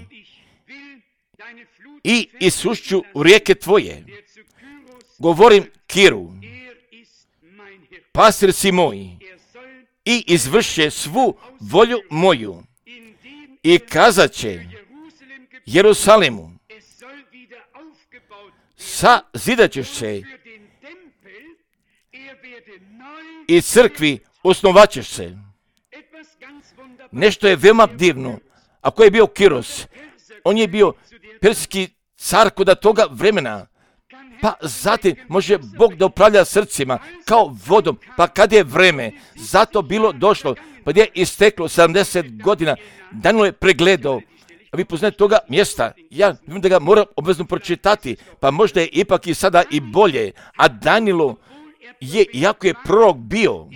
i isušću rijeke tvoje. Govorim Kiru, pastir si moj, i izvrše svu volju moju. I kazat će Jerusalemu, sazidat ćeš se i crkvi osnovat ćeš se. Nešto je veoma divno. Ako je bio Kiros, on je bio perski car kod toga vremena, pa zatim može Bog da upravlja srcima kao vodom, pa kad je vreme, zato bilo došlo, pa gdje je isteklo sedamdeset godina, Danilo je pregledao, a vi poznate toga mjesta, ja vidim da ga moram obvezno pročitati, pa možda je ipak i sada i bolje, a Danilo je, iako je prorok bio,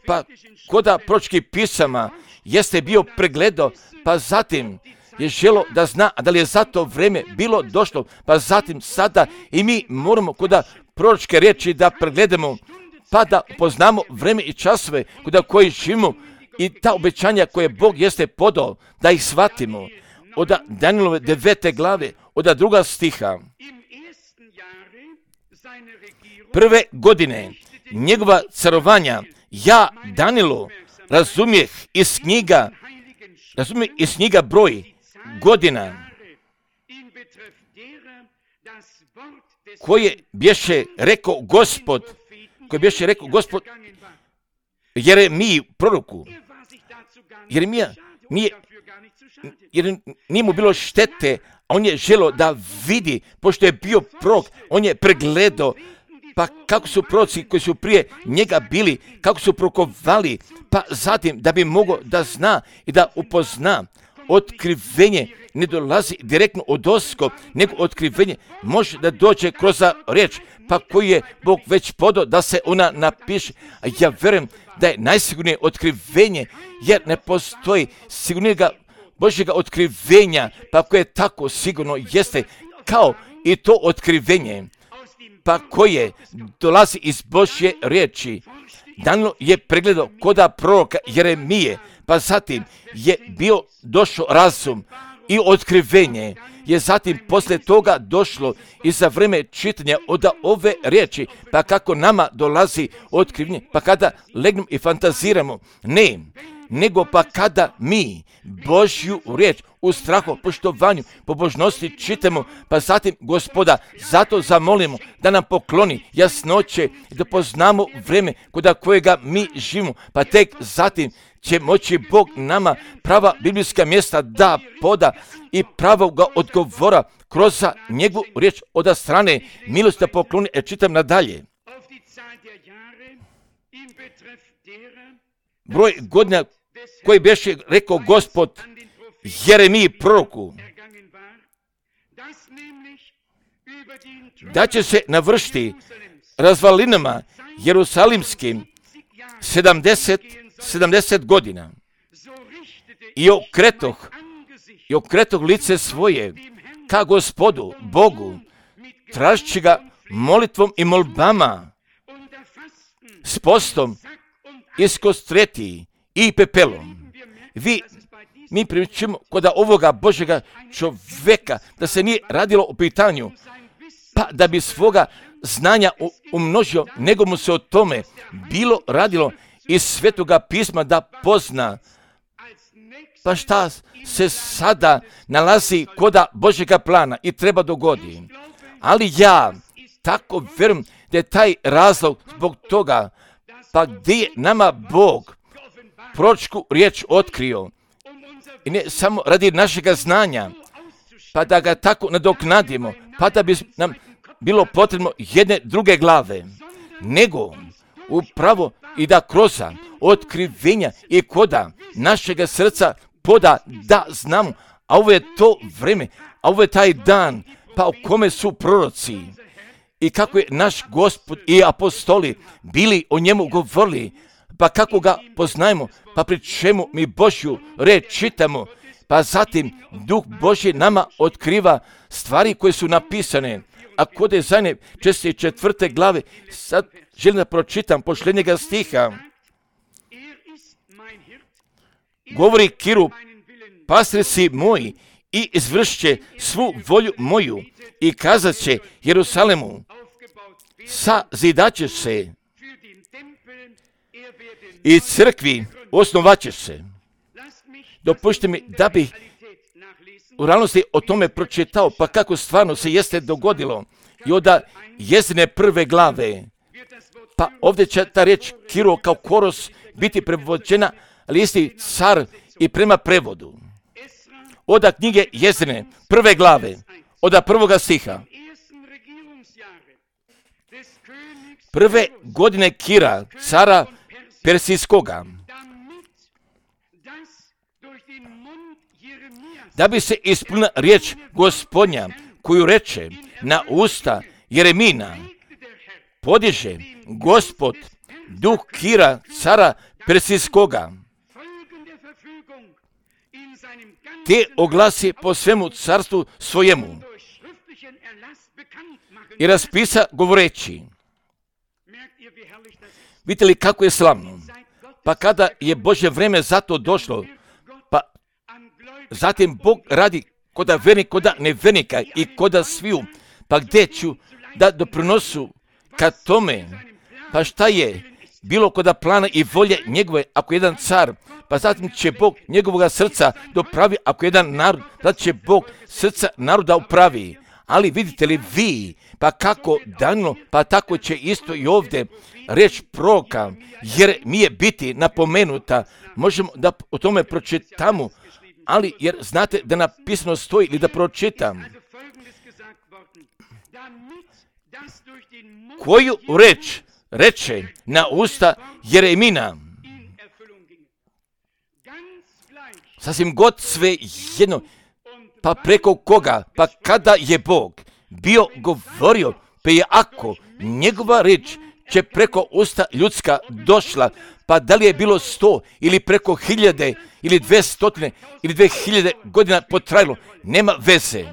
pa koda proročkih pisama jeste bio pregledao, pa zatim je želo da zna, a da li je za to vreme bilo došlo, pa zatim sada i mi moramo koda proročke riječi da pregledamo, pa da poznamo vreme i časove koda koji živimo i ta obećanja koje Bog jeste podao, da ih shvatimo. Od Danilove devete glave, od druga stiha. Prve godine njegova carovanja, ja, Danilo, razumijeh iz knjiga, razumijeh iz knjiga broj godina koje bješe rekao Gospod, koje bješe rekao Gospod Jeremiji proroku. Jeremija nije, jer nije mu bilo štete, a on je želio da vidi, pošto je bio prorok, on je pregledao, pa kako su proroci koji su prije njega bili, kako su prokovali, pa zatim da bi mogao da zna i da upozna otkrivenje ne dolazi direktno od osko, nego otkrivenje može da dođe kroz riječ, pa koji je Bog već podao da se ona napiše. A ja vjerujem da je najsigurnije otkrivenje, jer ne postoji sigurnijega Božjega otkrivenja, pa koje je tako sigurno jeste kao i to otkrivenje, pa koje dolazi iz Božje riječi. Danilo je pregledao koda proroka Jeremije, pa zatim je bio došao razum i otkrivenje je zatim poslije toga došlo i za vrijeme čitanja od ove riječi, pa kako nama dolazi otkrivenje, pa kada legnemo i fantaziramo, ne, nego pa kada mi Božju riječ u strahu, poštovanju, pobožnosti čitamo, pa zatim Gospoda zato zamolimo da nam pokloni jasnoće i da poznamo vrijeme kod kojega mi živimo, pa tek zatim će moći Bog nama prava biblijska mjesta da poda i pravoga odgovora kroz njegovu riječ od strane milosti da pokloni. E, čitam nadalje. Broj godina koji beše rekao Gospod Jeremiji proroku, da će se navršiti razvalinama Jerusalimskim sedamdeset, sedamdeset godina. I okretoh, i okretoh lice svoje ka Gospodu, Bogu, tražeći ga molitvom i molbama, s postom, iskostreti i pepelom. Vi, mi primjećujemo kod ovoga Božjega čovjeka da se nije radilo o pitanju, pa da bi svoga znanja umnožio, nego mu se o tome bilo radilo iz Svetoga pisma da pozna. Pa šta se sada nalazi koda Božjega plana i treba dogodi. Ali ja tako vjerujem da je taj razlog zbog toga, pa gdje je nama Bog proročku riječ otkrio. I ne samo radi našega znanja, pa da ga tako nadoknadimo, pa da bi nam bilo potrebno jedne druge glave, nego upravo i da kroz otkrivenja i koda našega srca poda da znamo, a ovo je to vrijeme, a ovo je taj dan, pa u kome su proroci i kako je naš Gospod i apostoli bili o njemu govorili, pa kako ga poznajemo, pa pri čemu mi Božju riječ čitamo, pa zatim Duh Božji nama otkriva stvari koje su napisane. A kod je zadnje šezdeset četvrte glave, sad želim da pročitam posljednjega stiha. Govori Kiru, pastir si moj i izvršće svu volju moju i kazat će Jerusalemu, sazidaće se i crkvi osnovaće se. Dopušte mi da bih u realnosti o tome pročitao, pa kako stvarno se jeste dogodilo. I onda jezine prve glave, pa ovdje će ta riječ Kiro kao koros biti prevođena, ali isti car i prema prevodu. Oda knjige jezine prve glave, oda prvoga stiha. Prve godine Kira, cara Persijskoga, da bi se ispunila riječ Gospodnja, koju reče na usta Jeremina, podiže Gospod duh Kira, cara Persijskoga, te oglasi po svemu carstvu svojemu i raspisa govoreći. Vidite li kako je slavno? Pa kada je Božje vrijeme za to došlo, pa zatim Bog radi koda vernika, koda nevernika i koda sviju, pa gdje ću da doprinosu ka tome, pa šta je bilo koda plana i volje njegove, ako jedan car, pa zatim će Bog njegovoga srca dopravi, ako jedan narod, da će Bog srca naroda upravi. Ali vidite li vi, pa kako Danilo, pa tako će isto i ovdje riječ proroka, jer mi je biti napomenuta, možemo da o tome pročitamo, ali jer znate da napisano stoji ili da pročitam. Koju reč reče na usta Jeremina, sasvim god sve jedno, pa preko koga, pa kada je Bog bio govorio, pa je ako njegova riječ će preko usta ljudska došla, pa da li je bilo sto ili preko hiljade ili dve stotine ili dve hiljade godina potrajalo, nema veze.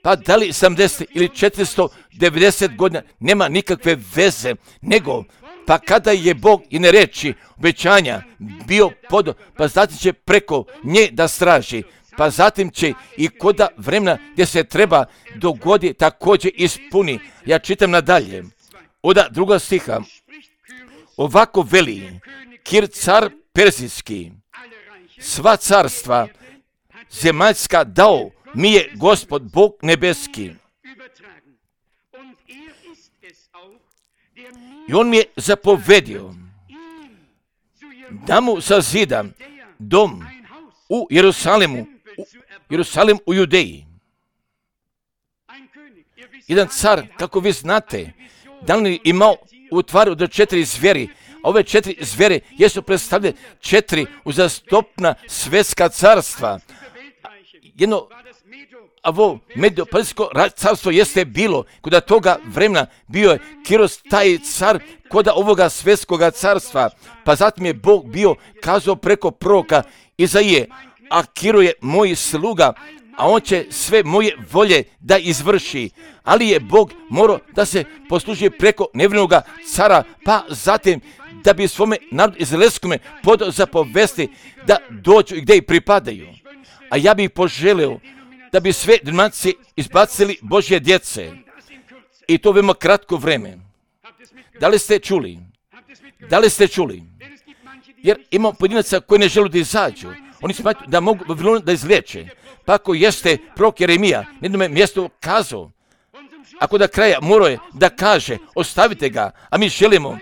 Pa da li sedamdeset ili četiristo devedeset godina, nema nikakve veze, nego pa kada je Bog i ne reći obećanja bio podo, pa zatim će preko nje da straži, pa zatim će i koda vremena gdje se treba dogodi također ispuni. Ja čitam nadalje, oda druga stiha, ovako veli Kir car Perzijski, sva carstva zemaljska dao mi je Gospod Bog nebeski. I on mi je zapovedio da mu sazidam dom u Jerusalimu, u Jerusalim u Judeji. Jedan car, kako vi znate, da li imao u tvaru do četiri zveri, a ove četiri zvere jesu predstavljene četiri uzastopna svjetska carstva. Jedno, ovo Medo-Perzijsko carstvo jeste bilo, kuda toga vremena bio je Kiros taj car koda ovoga svjetskoga carstva, pa zatim je Bog bio kazao preko proroka Izaije, a Kiro je moj sluga, a on će sve moje volje da izvrši. Ali je Bog morao da se posluži preko nevinoga cara, pa zatim da bi svome narodu izraelskome podao zapovesti da dođu i gdje i pripadaju. A ja bih poželio da bi sve denominacije izbacili Božje djece. I to veoma kratko vreme. Da li ste čuli? Da li ste čuli? Jer imamo pojedinaca koji ne žele da izađu. Oni smatruju da mogu Vavilon da izliječe. Pa ako jeste prorok Jeremija na jednom mjestu kazao, ako da kraja morao je da kaže, ostavite ga, a mi želimo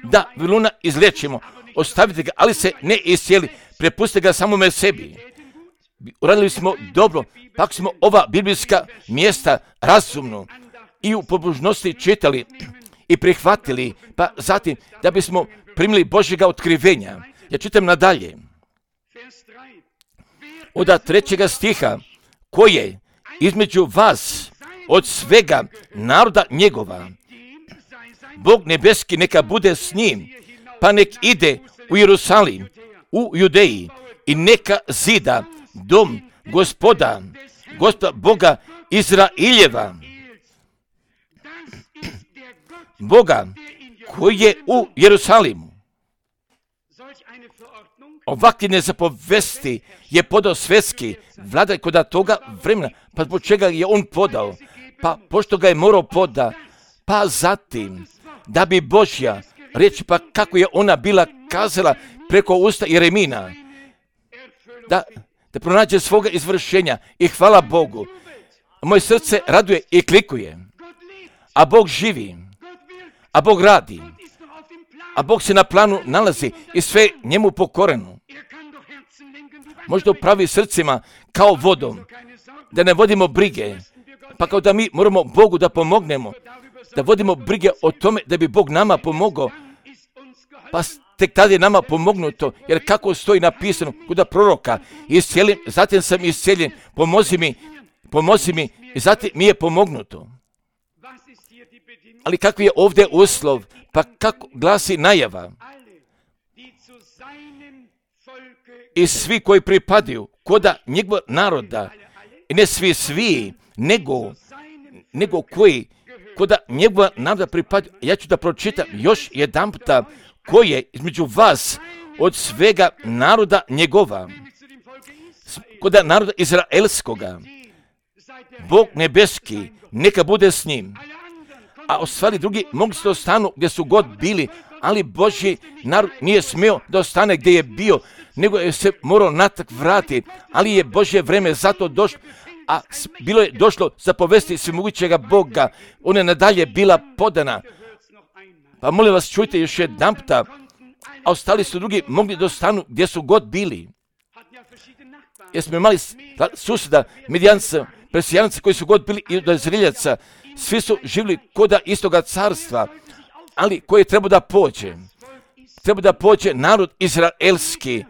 da Vavilona izliječimo, ostavite ga, ali se ne iscijeli, prepustite ga samome sebi. Uradili smo dobro, pa ako smo ova biblijska mjesta razumno i u pobožnosti čitali i prihvatili, pa zatim da bismo primili Božjega otkrivenja. Ja čitam nadalje. Od trećega stiha, koje između vas od svega naroda njegova, Bog nebeski neka bude s njim, pa nek ide u Jerusalim, u Judeji i neka zida dom gospoda, gospoda Boga Izraeljeva, Boga koji je u Jerusalimu. Ovakve nezapovesti je podao svjetski vladar kod toga vremena, pa zbog čega je on podao? Pa pošto ga je morao poda, pa zatim da bi Božja riječ, pa kako je ona bila kazala preko usta Jeremina, da, da pronađe svoga izvršenja i hvala Bogu. Moje srce raduje i klikuje, a Bog živi, a Bog radi, a Bog se na planu nalazi i sve njemu pokoreno. Možda upravi srcima kao vodom, da ne vodimo brige, pa kao da mi moramo Bogu da pomognemo, da vodimo brige o tome da bi Bog nama pomogao, pa tek tada je nama pomognuto, jer kako stoji napisano kod proroka, iscijelim, zatim sam iscijeljen, pomozi mi, pomozi mi, i zatim mi je pomognuto. Ali kakvi je ovdje uslov, pa kako glasi najava? I svi koji pripadaju koda njegova naroda, i ne svi svi, nego, nego koji koda njegova naroda pripadaju, ja ću da pročitam još jedan puta, koje između vas od svega naroda njegova, koda naroda izraelskoga, Bog nebeski neka bude s njim. A ostali drugi mogli se ostanu gdje su god bili, ali Božji narod nije smio da ostane gdje je bio, nego je se morao natrag vratiti, ali je Božje vreme zato došlo, a bilo je došlo za povesti svemogućega Boga, ona je nadalje bila podana. Pa molim vas, čujte još jedan puta, a ostali su drugi mogli da ostanu gdje su god bili. Jer smo imali susjeda, Midijanca, Persijanaca koji su god bili i od Izraeljaca, svi su živjeli koda istoga carstva, ali koji treba da pođe. Treba da pođe narod izraelski.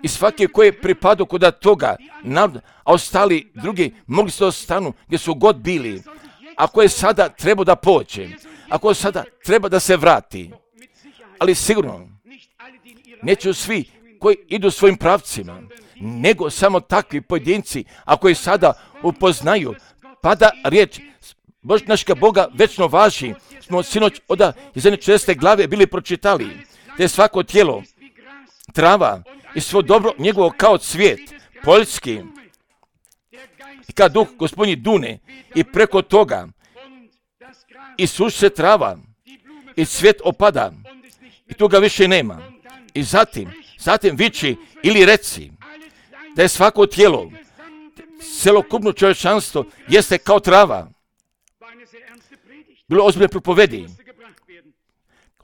i svaki koji je pripadao kod toga naroda, a ostali drugi mogli se ostanu gdje su god bili. Ako je sada treba da pođe, ako sada treba da se vrati, ali sigurno neću svi koji idu svojim pravcima, nego samo takvi pojedinci, ako je sada upoznaju, pa da riječ Bož našega Boga večno važi, smo sinoć od jedne česte glave bili pročitali, da je svako tijelo, trava i svo dobro njegovo kao cvijet, poljski, i kad duh gospodnji dune i preko toga i suši se trava i cvijet opada i tu ga više nema. I zatim, zatim viči ili reci da je svako tijelo, celokupno čovječanstvo jeste kao trava. Bilo ozbiljne propovedi.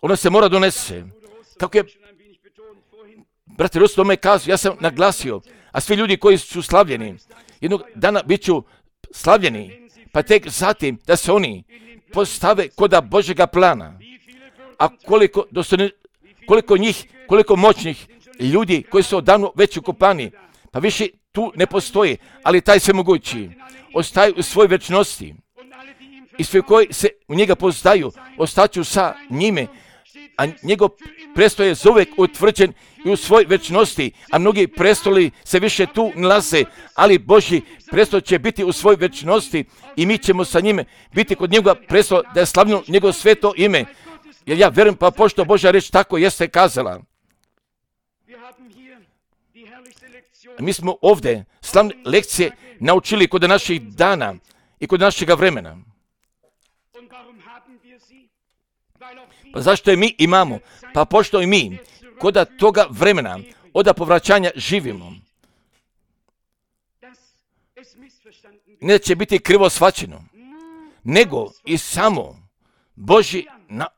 Ona se mora donese. Kako je brate Rus tome kazao, ja sam naglasio, a svi ljudi koji su slavljeni, jednog dana bit ću slavljeni, pa tek zatim da se oni postave koda Božjega plana. A koliko, dostojni, koliko njih, koliko moćnih ljudi koji su odavno već ukopani, pa više tu ne postoji, ali taj svemogući ostaje u svojoj večnosti. I svi koji se u njega poznaju, ostaću sa njime, a njegov prestol je zauvek utvrđen i u svoj večnosti, a mnogi prestoli se više tu nalaze, ali Božji prestol će biti u svoj večnosti i mi ćemo sa njime biti kod njegova prestola da je slavljeno njegovo sveto ime. Jer ja vjerujem, pa pošto Božja reč tako jeste kazala. Mi smo ovdje slavne lekcije naučili kod naših dana i kod našega vremena. Pa zašto je mi imamo? Pa pošto i mi kod toga vremena, od povraćanja živimo. Neće biti krivo shvaćeno, nego i samo Božji,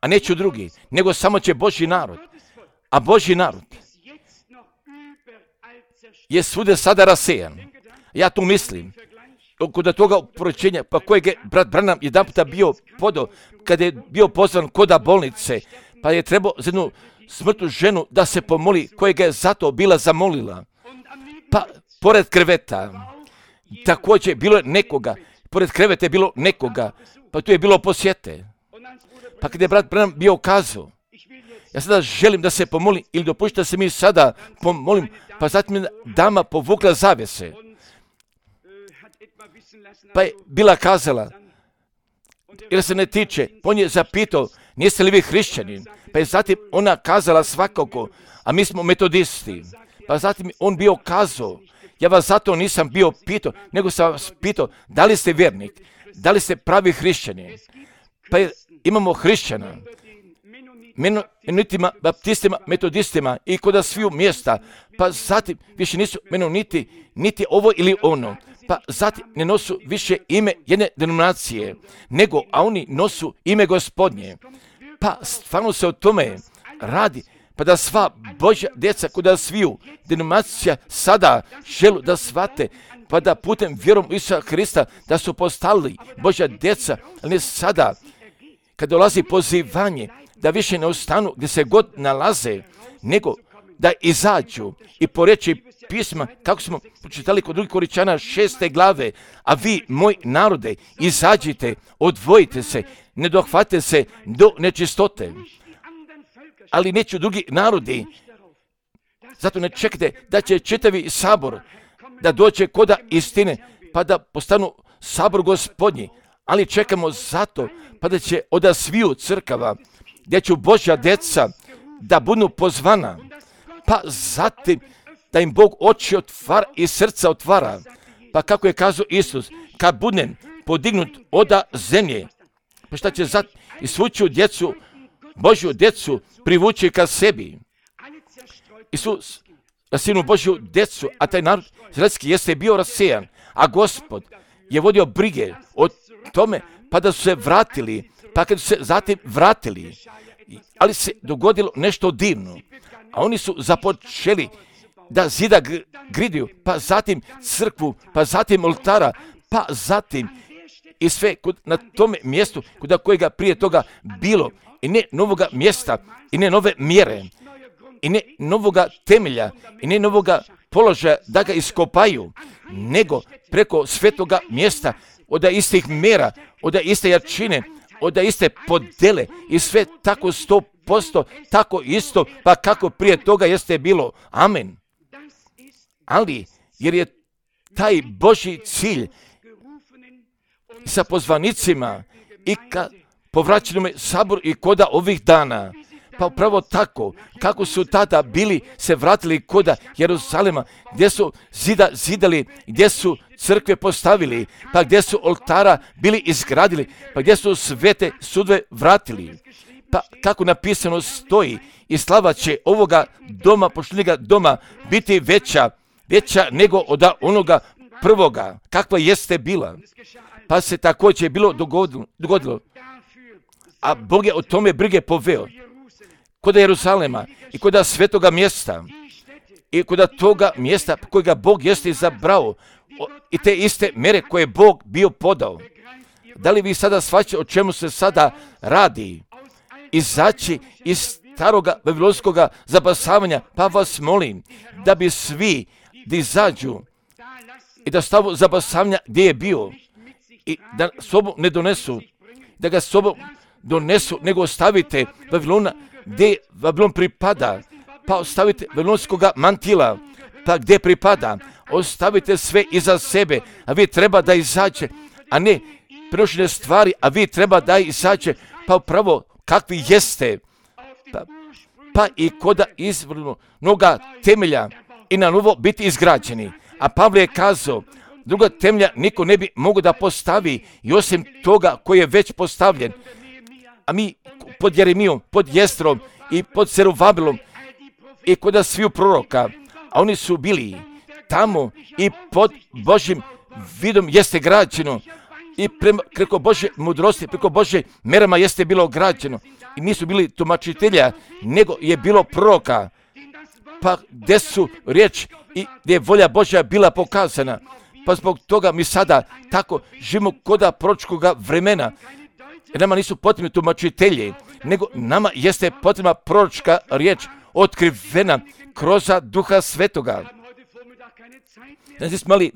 a neću drugi, nego samo će Božji narod. A Božji narod je svude sada rasejan. Ja tu mislim, kod toga poročenja, pa kojeg je brat Branham jedan puta bio podao, kada je bio pozvan koda bolnice, pa je trebao za jednu smrtnu ženu da se pomoli, kojega je zato bila zamolila. Pa pored kreveta, također bilo je nekoga, pored kreveta je bilo nekoga, pa tu je bilo posjete. Pa kada je brat Branham bio kazao, ja sada želim da se pomolim, ili dopušta se mi sada pomolim, pa zatim je dama povukla zavese. Pa je bila kazala, jer se ne tiče, on je zapitao, niste li vi hrišćani? Pa je zatim ona kazala svakako, a mi smo metodisti. Pa zatim on bio kazao, ja vas zato nisam bio pitao, nego sam vas pitao, da li ste vjernik, da li ste pravi hrišćani? Pa je, imamo hrišćana, menonitima, baptistima, metodistima i kod sviju mjesta, pa zatim više nisu menoniti, niti ovo ili ono, pa zatim ne nosu više ime jedne denominacije, nego, a oni nosu ime Gospodnje. Pa stvarno se o tome radi, pa da sva Božja djeca kod sviju denominacija sada želu da shvate, pa da putem vjerom u Isusa Hrista da su postali Božja djeca, ali ne sada, kad dolazi pozivanje, da više ne ostanu gdje se god nalaze, nego da izađu i po reči pisma, kako smo pročitali kod drugih Koričana šeste glave, a vi, moj narode, izađite, odvojite se, ne dohvate se do nečistote. Ali neću drugi narodi, zato ne čekajte da će čitavi sabor da dođe koda istine, pa da postanu sabor Gospodnji, ali čekamo zato, pa da će od sviju crkava, gdje će Božja djeca da budu pozvana, pa zatim da im Bog oči otvara i srca otvara. Pa kako je kazao Isus, kad budem podignut oda zemlje, pa šta će zatim i svu ću djecu, Božju djecu privući ka sebi. Isus, rasinu Božju djecu, a taj narod izraelski jeste bio rasejan, a Gospod je vodio brige o tome, pa da su se vratili, pa kad su se zatim vratili, ali se dogodilo nešto divno, a oni su započeli da zida gridiju, pa zatim crkvu, pa zatim oltara, pa zatim i sve kod, na tome mjestu kod kojega prije toga bilo, i ne novoga mjesta, i ne nove mjere, i ne novoga temelja i ne novoga položaja da ga iskopaju, nego preko svetoga mjesta, od istih mjera, od iste jačine, od iste podele i sve tako sto posto, tako isto, pa kako prije toga jeste bilo. Amen. Ali, jer je taj Božji cilj sa pozvanicima i ka povraćenome saboru i koda ovih dana, pa upravo tako, kako su tada bili se vratili koda Jeruzalema, gdje su zida zidali, gdje su crkve postavili, pa gdje su oltara bili izgradili, pa gdje su svete sudove vratili. Pa kako napisano stoji, i slava će ovoga doma, poštenjega doma, biti veća, veća nego od onoga prvoga, kakva jeste bila. Pa se također bilo dogodilo, dogodilo. A Bog je o tome brige poveo. Koda Jeruzalema i koda svetoga mjesta i koda toga mjesta kojega Bog jeste izabrao i te iste mjere koje Bog bio podao. Da li vi sada shvaćate o čemu se sada radi? Izaći iz staroga babilonskoga zabasavanja, pa vas molim da bi svi da izađu i da stavu zabasavanja gdje je bio i da sobom ne donesu, da ga sobom donesu, nego ostavite Babilona gdje Babilon pripada, pa ostavite babilonskoga mantila, pa gdje pripada, ostavite sve iza sebe, a vi treba da izađe, a ne prenošene stvari, a vi treba da izađe, pa upravo kakvi jeste, pa, pa i koda izvrnoga temelja i na novo biti izgrađeni. A Pavle je kazao, druga temelja niko ne bi mogao da postavi i osim toga koji je već postavljen. A mi pod Jeremijom, pod Jestrom i pod Zerubabilom i kod sviju proroka, a oni su bili tamo i pod Božjim vidom jeste građeno i prema, preko Božje mudrosti, preko Božje merama jeste bilo građeno i nisu bili tumačitelja, nego je bilo proroka, pa gdje su riječ i gdje je volja Božja bila pokazana. Pa zbog toga mi sada tako živimo koda proročkoga vremena. Jer nama nisu potrebni tumačitelji, nego nama jeste potrebna proročka riječ otkrivena kroz Duha Svetoga. Znači smo imali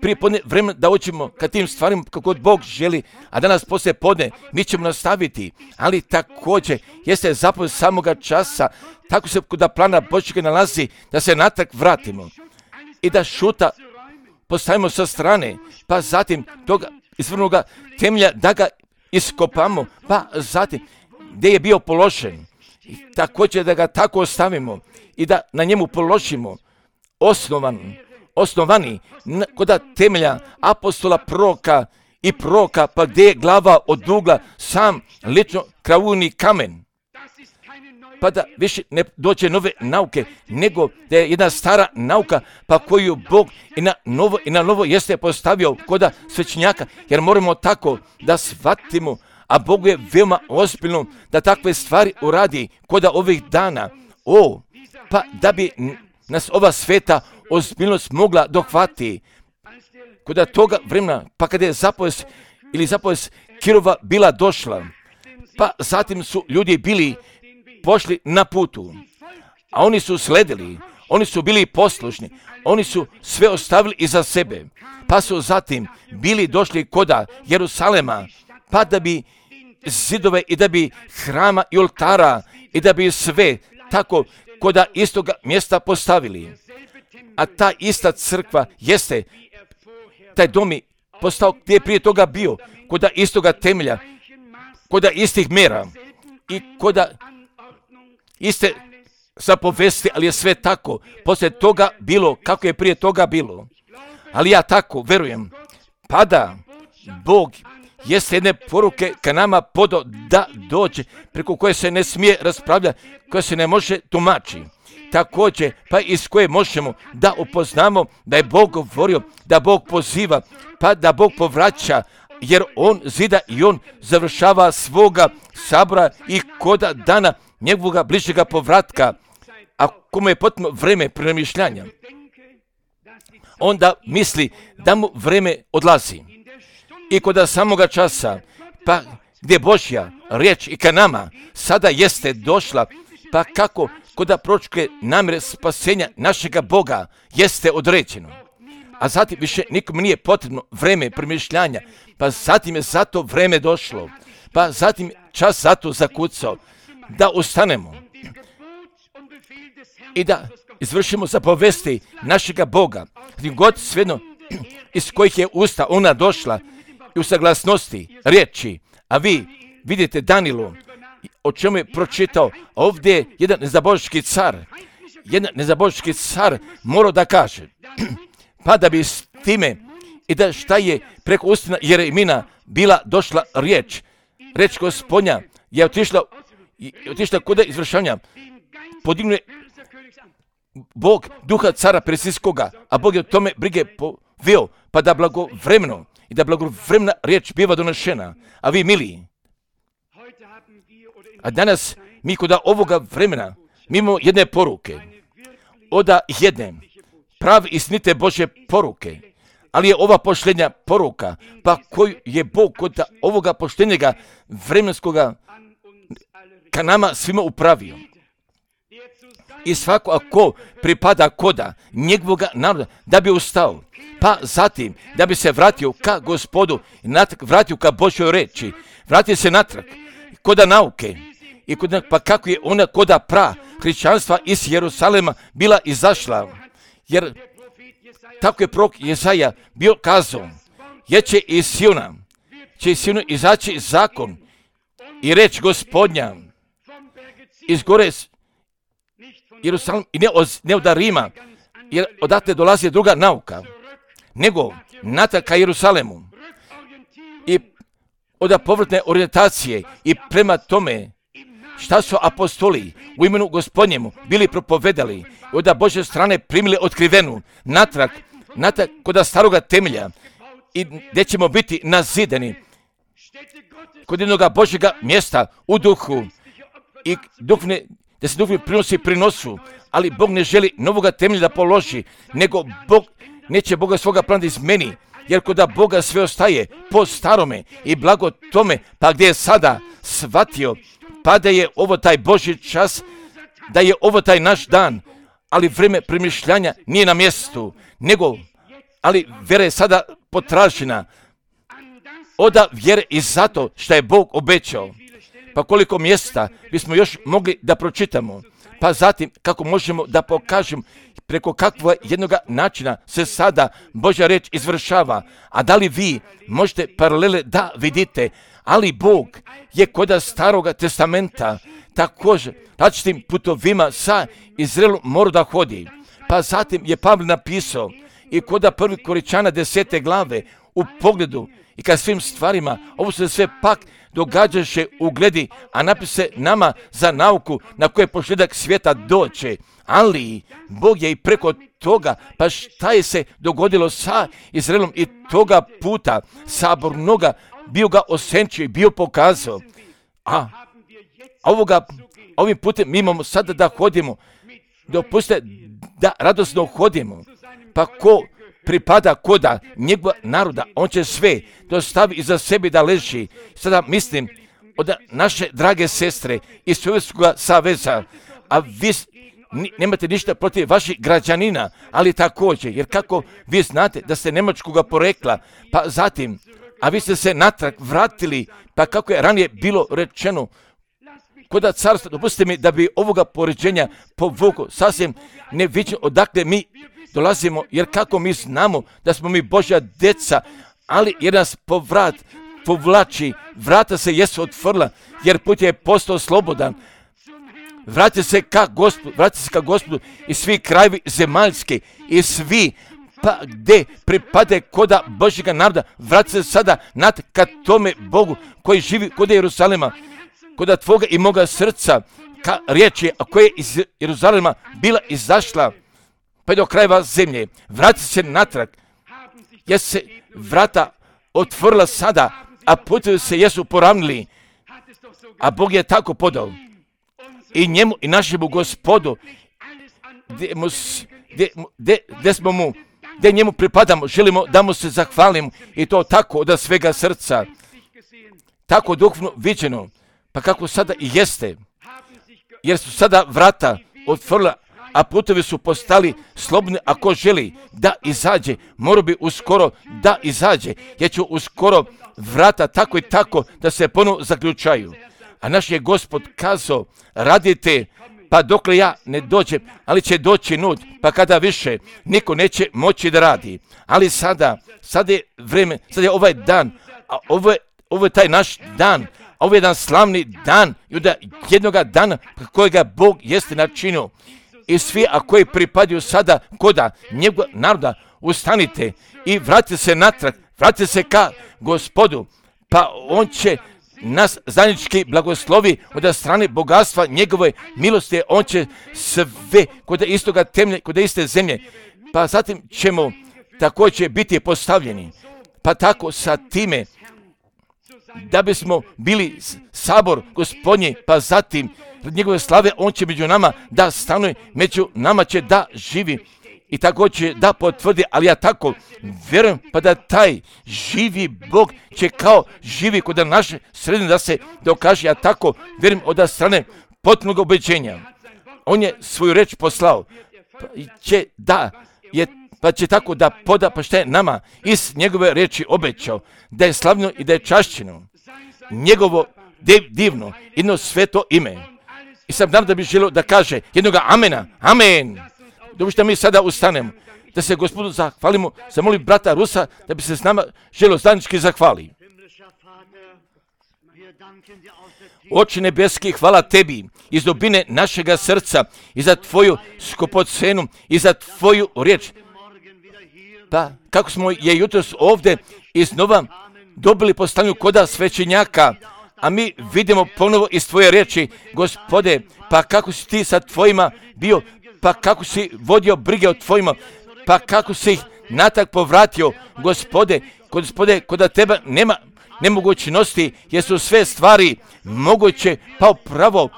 prije podne vremena da učimo ka tim stvarima kako god Bog želi, a danas poslije podne mi ćemo nastaviti, ali također jeste zapovjed samoga časa, tako se kod plana Božjega nalazi da se natrag vratimo i da šuta postavimo sa strane, pa zatim toga izvrnoga temelja da ga iskopamo, pa zatim gdje je bio položen i također da ga tako ostavimo i da na njemu položimo osnovan, osnovani kod temelja apostola, proroka i proroka, pa gdje je glava od ugla sam lično kravuni kamen, pa da više ne dođe nove nauke, nego da je jedna stara nauka, pa koju Bog i na novo i na novo jeste postavio koda svećenjaka, jer moramo tako da shvatimo, a Bogu je veoma ozbiljno da takve stvari uradi koda ovih dana. O, pa da bi nas ova sveta ozbiljnost mogla dohvati koda toga vremena, pa kada je zapovest ili zapovest Kirova bila došla, pa zatim su ljudi bili pošli na putu, a oni su sledili, oni su bili poslušni, oni su sve ostavili iza sebe, pa su zatim bili došli koda Jerusalema, pa da bi zidove i da bi hrama i oltara i da bi sve tako koda istoga mjesta postavili. A ta ista crkva jeste, taj dom je postao gdje je prije toga bio, koda istoga temelja, koda istih mjera i koda iste zapovesti, ali je sve tako poslije toga bilo kako je prije toga bilo. Ali ja tako verujem, pa da Bog jeste jedne poruke ka nama podo da dođe, preko koje se ne smije raspravljati, koje se ne može tumačiti. Također, pa iz koje možemo da upoznamo da je Bog govorio, da Bog poziva, pa da Bog povraća, jer On zida i On završava svoga sabora i koda dana njegovoga bližega povratka, a komu je potpuno vreme premišljanja, onda misli da mu vreme odlazi. I koda samoga časa, pa gdje Božja riječ i ka nama sada jeste došla, pa kako kod proročke namjere spasenja našega Boga jeste određeno. A zatim više nikom nije potrebno vreme premišljanja, pa zatim je zato vreme došlo, pa zatim čas zato zakucao, da ustanemo i da izvršimo zapovesti našega Boga, gdje god svejedno iz kojih je usta ona došla i u saglasnosti riječi. A vi vidite Danilu, o čemu je pročitao, ovdje je jedan nezaboški car, jedan nezaboški car morao da kaže, pa da bi s time i da šta je preko ustina Jeremina bila došla riječ, riječ Gospodnja je otišla, otišla kod izvršavanja, podignuje Bog duha cara Persijskoga, a Bog je o tome brige poveo, pa da blagovremeno i da blagovremena riječ biva donešena. A vi, mili, a danas mi kod ovoga vremena mi imamo jedne poruke, oda jedne pravi istinite Božje poruke, ali je ova poštenja poruka, pa koju je Bog kod ovoga poštenjega vremenskoga ka nama svima upravio. I svako ako pripada koda njegovoga naroda da bi ustao, pa zatim da bi se vratio ka Gospodu, vratio ka Božjoj reči, vratio se natrag koda nauke, i koda, pa kako je ona koda pra hrišćanstva iz Jerusalema bila izašla, jer tako je prorok Jesaja bio kazao, jer će iz Siona, će iz Siona izaći zakon i reč Gospodnja iz gore Jerusalim i ne od, ne od Rima, jer odatle dolazi druga nauka, nego natrag ka Jerusalemu i od povratne orijentacije i prema tome šta su apostoli u imenu Gospodnjemu bili propovedali i od Božje strane primili otkrivenu natrag, natrag kod staroga temelja i gdje ćemo biti nazideni kod jednog Božjega mjesta u duhu i duhovne, da se duhovni prinosi prinosu, ali Bog ne želi novoga temelja da položi, nego Bog neće Boga svoga plana izmeni, jer kod Boga sve ostaje po starome i blago tome, pa gdje je sada shvatio, pa da je ovo taj Božji čas, da je ovo taj naš dan, ali vreme premišljanja nije na mjestu, nego, ali vjera je sada potražena, oda vjere i zato što je Bog obećao. Pa koliko mjesta bismo još mogli da pročitamo, pa zatim kako možemo da pokažemo preko kakvog jednoga načina se sada Božja reč izvršava, a da li vi možete paralele da vidite, ali Bog je kod staroga testamenta također različitim putovima sa Izraelom morao da hodi. Pa zatim je Pavle napisao i kod prvi Koričana desete glave u pogledu i kad svim stvarima, ovo se sve pak događaše u gledi, a napise nama za nauku na koje posljedak svijeta doće. Ali Bog je i preko toga, pa šta je se dogodilo sa Izraelom i toga puta sabornoga bio ga osenčio i bio pokazao. A ovoga, ovim putem mi imamo sada da hodimo, dopustite da radosno hodimo, pa ko pripada koda njegova naroda, on će sve dostavi iza sebe da leži. Sada mislim od naše drage sestre iz Sovjetskog saveza, a vi nemate ništa protiv vaših građanina, ali također, jer kako vi znate da ste nemačkoga porekla, pa zatim, a vi ste se natrag vratili, pa kako je ranije bilo rečeno, koda carstva, dopustite mi da bi ovoga poređenja povukao sasvim neviđeno odakle mi dolazimo, jer kako mi znamo da smo mi Božja deca, ali jer nas povrat povlači, vrata se jesu otvorila, jer put je postao slobodan. Vrati se ka Gospodu, vrati se ka Gospodu i svi krajevi zemaljski i svi pa gdje pripade koda Božjega naroda, vrati se sada nad ka tome Bogu koji živi kod Jerusalema, koda tvoga i moga srca, ka riječi, a koja je iz Jeruzalema bila izašla, pa do krajeva zemlje. Vrati se natrag, jer se vrata otvorila sada, a putevi se jesu poravnili, a Bog je tako podao. I njemu i našemu Gospodu, gdje smo mu, gdje njemu pripadamo, želimo da mu se zahvalimo i to tako od svega srca, tako duhovno viđeno, pa kako sada i jeste, jer su sada vrata otvorila, a putovi su postali slobodni. Ako želi da izađe, mora bi uskoro da izađe, jer će uskoro vrata tako i tako da se ponovo zaključaju. A naš je Gospod kazao, radite pa dokle ja ne dođem, ali će doći noć, pa kada više niko neće moći da radi. Ali sada, sada je vrijeme, sada je ovaj dan, a ovo je, ovo je taj naš dan, a ovo je jedan slavni dan, i onda jednoga dana kojega Bog jeste načinio. I svi, a koji pripadaju sada koda njegova naroda, ustanite i vratite se natrag, vratite se ka Gospodu, pa on će nas zajednički blagoslovi od strane bogatstva njegove milosti. On će sve kod istoga temelja, kod iste zemlje, pa zatim ćemo također biti postavljeni, pa tako sa time da bismo bili sabor Gospodnji, pa zatim njegove slave on će među nama da stanuje, među nama će da živi i također da potvrdi. Ali ja tako vjerujem, pa da taj živi Bog će kao živi kod naše sredine da se dokaže. Ja tako vjerujem od strane potpunog ubeđenja. On je svoju reč poslao, pa će da je pa će tako da poda pa što je nama iz njegove reči obećao, da je slavno i da je čašćeno njegovo divno, jedno sveto ime. I sam nam da bi želio da kaže jednoga amena, amen. Dobro što mi sada ustanemo, da se Gospodu zahvalimo, zamolim brata Rusa da bi se s nama želio zajednički zahvali. Oče nebeski, hvala tebi iz dubine našega srca i za tvoju skupocenu i za tvoju riječ. Pa kako smo je jutros ovdje iznova dobili postavljanju koda svećenjaka, a mi vidimo ponovo iz tvoje riječi, Gospode, pa kako si ti sa tvojima bio, pa kako si vodio brige o tvojima, pa kako si ih natrag povratio, Gospode, Gospode, kod tebe nema nemogućnosti, jer su sve stvari moguće, pa upravo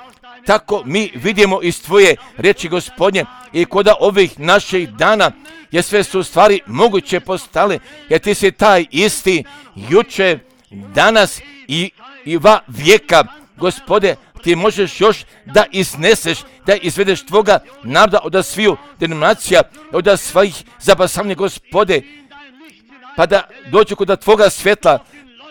tako mi vidimo iz tvoje riječi, Gospodnje, i kod ovih naših dana, jer sve su stvari moguće postale, jer ti si taj isti juče, danas i, i va vijeka, Gospode, ti možeš još da izneseš, da izvedeš tvoga naroda od sviju denominacija, od svojih zabasavanja, Gospode, pa da dođu kod tvoga svjetla,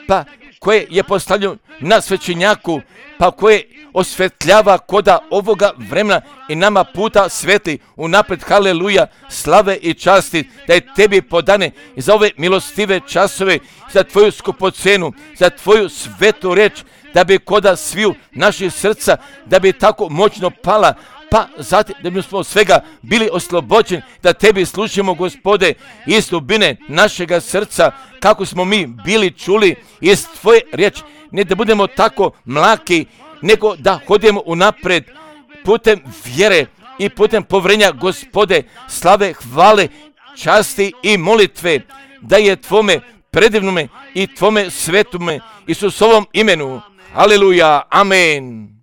pa koje je postavljeno na svećenjaku, pa koje osvetljava koda ovoga vremena i nama puta svetli unapred, haleluja, slave i časti, da je tebi podane i za ove milostive časove, za tvoju skupocenu, za tvoju svetu reč, da bi koda sviju naših srca, da bi tako moćno pala, pa zatim da bi smo svega bili oslobođeni, da tebi služimo, Gospode, iz dubine našega srca, kako smo mi bili čuli iz tvoje riječi, ne da budemo tako mlaki, nego da hodimo unapred putem vjere i putem povrenja, Gospode, slave, hvale, časti i molitve, da je tvome predivnome i tvome svetume Isusovom imenu. Aleluja, amen.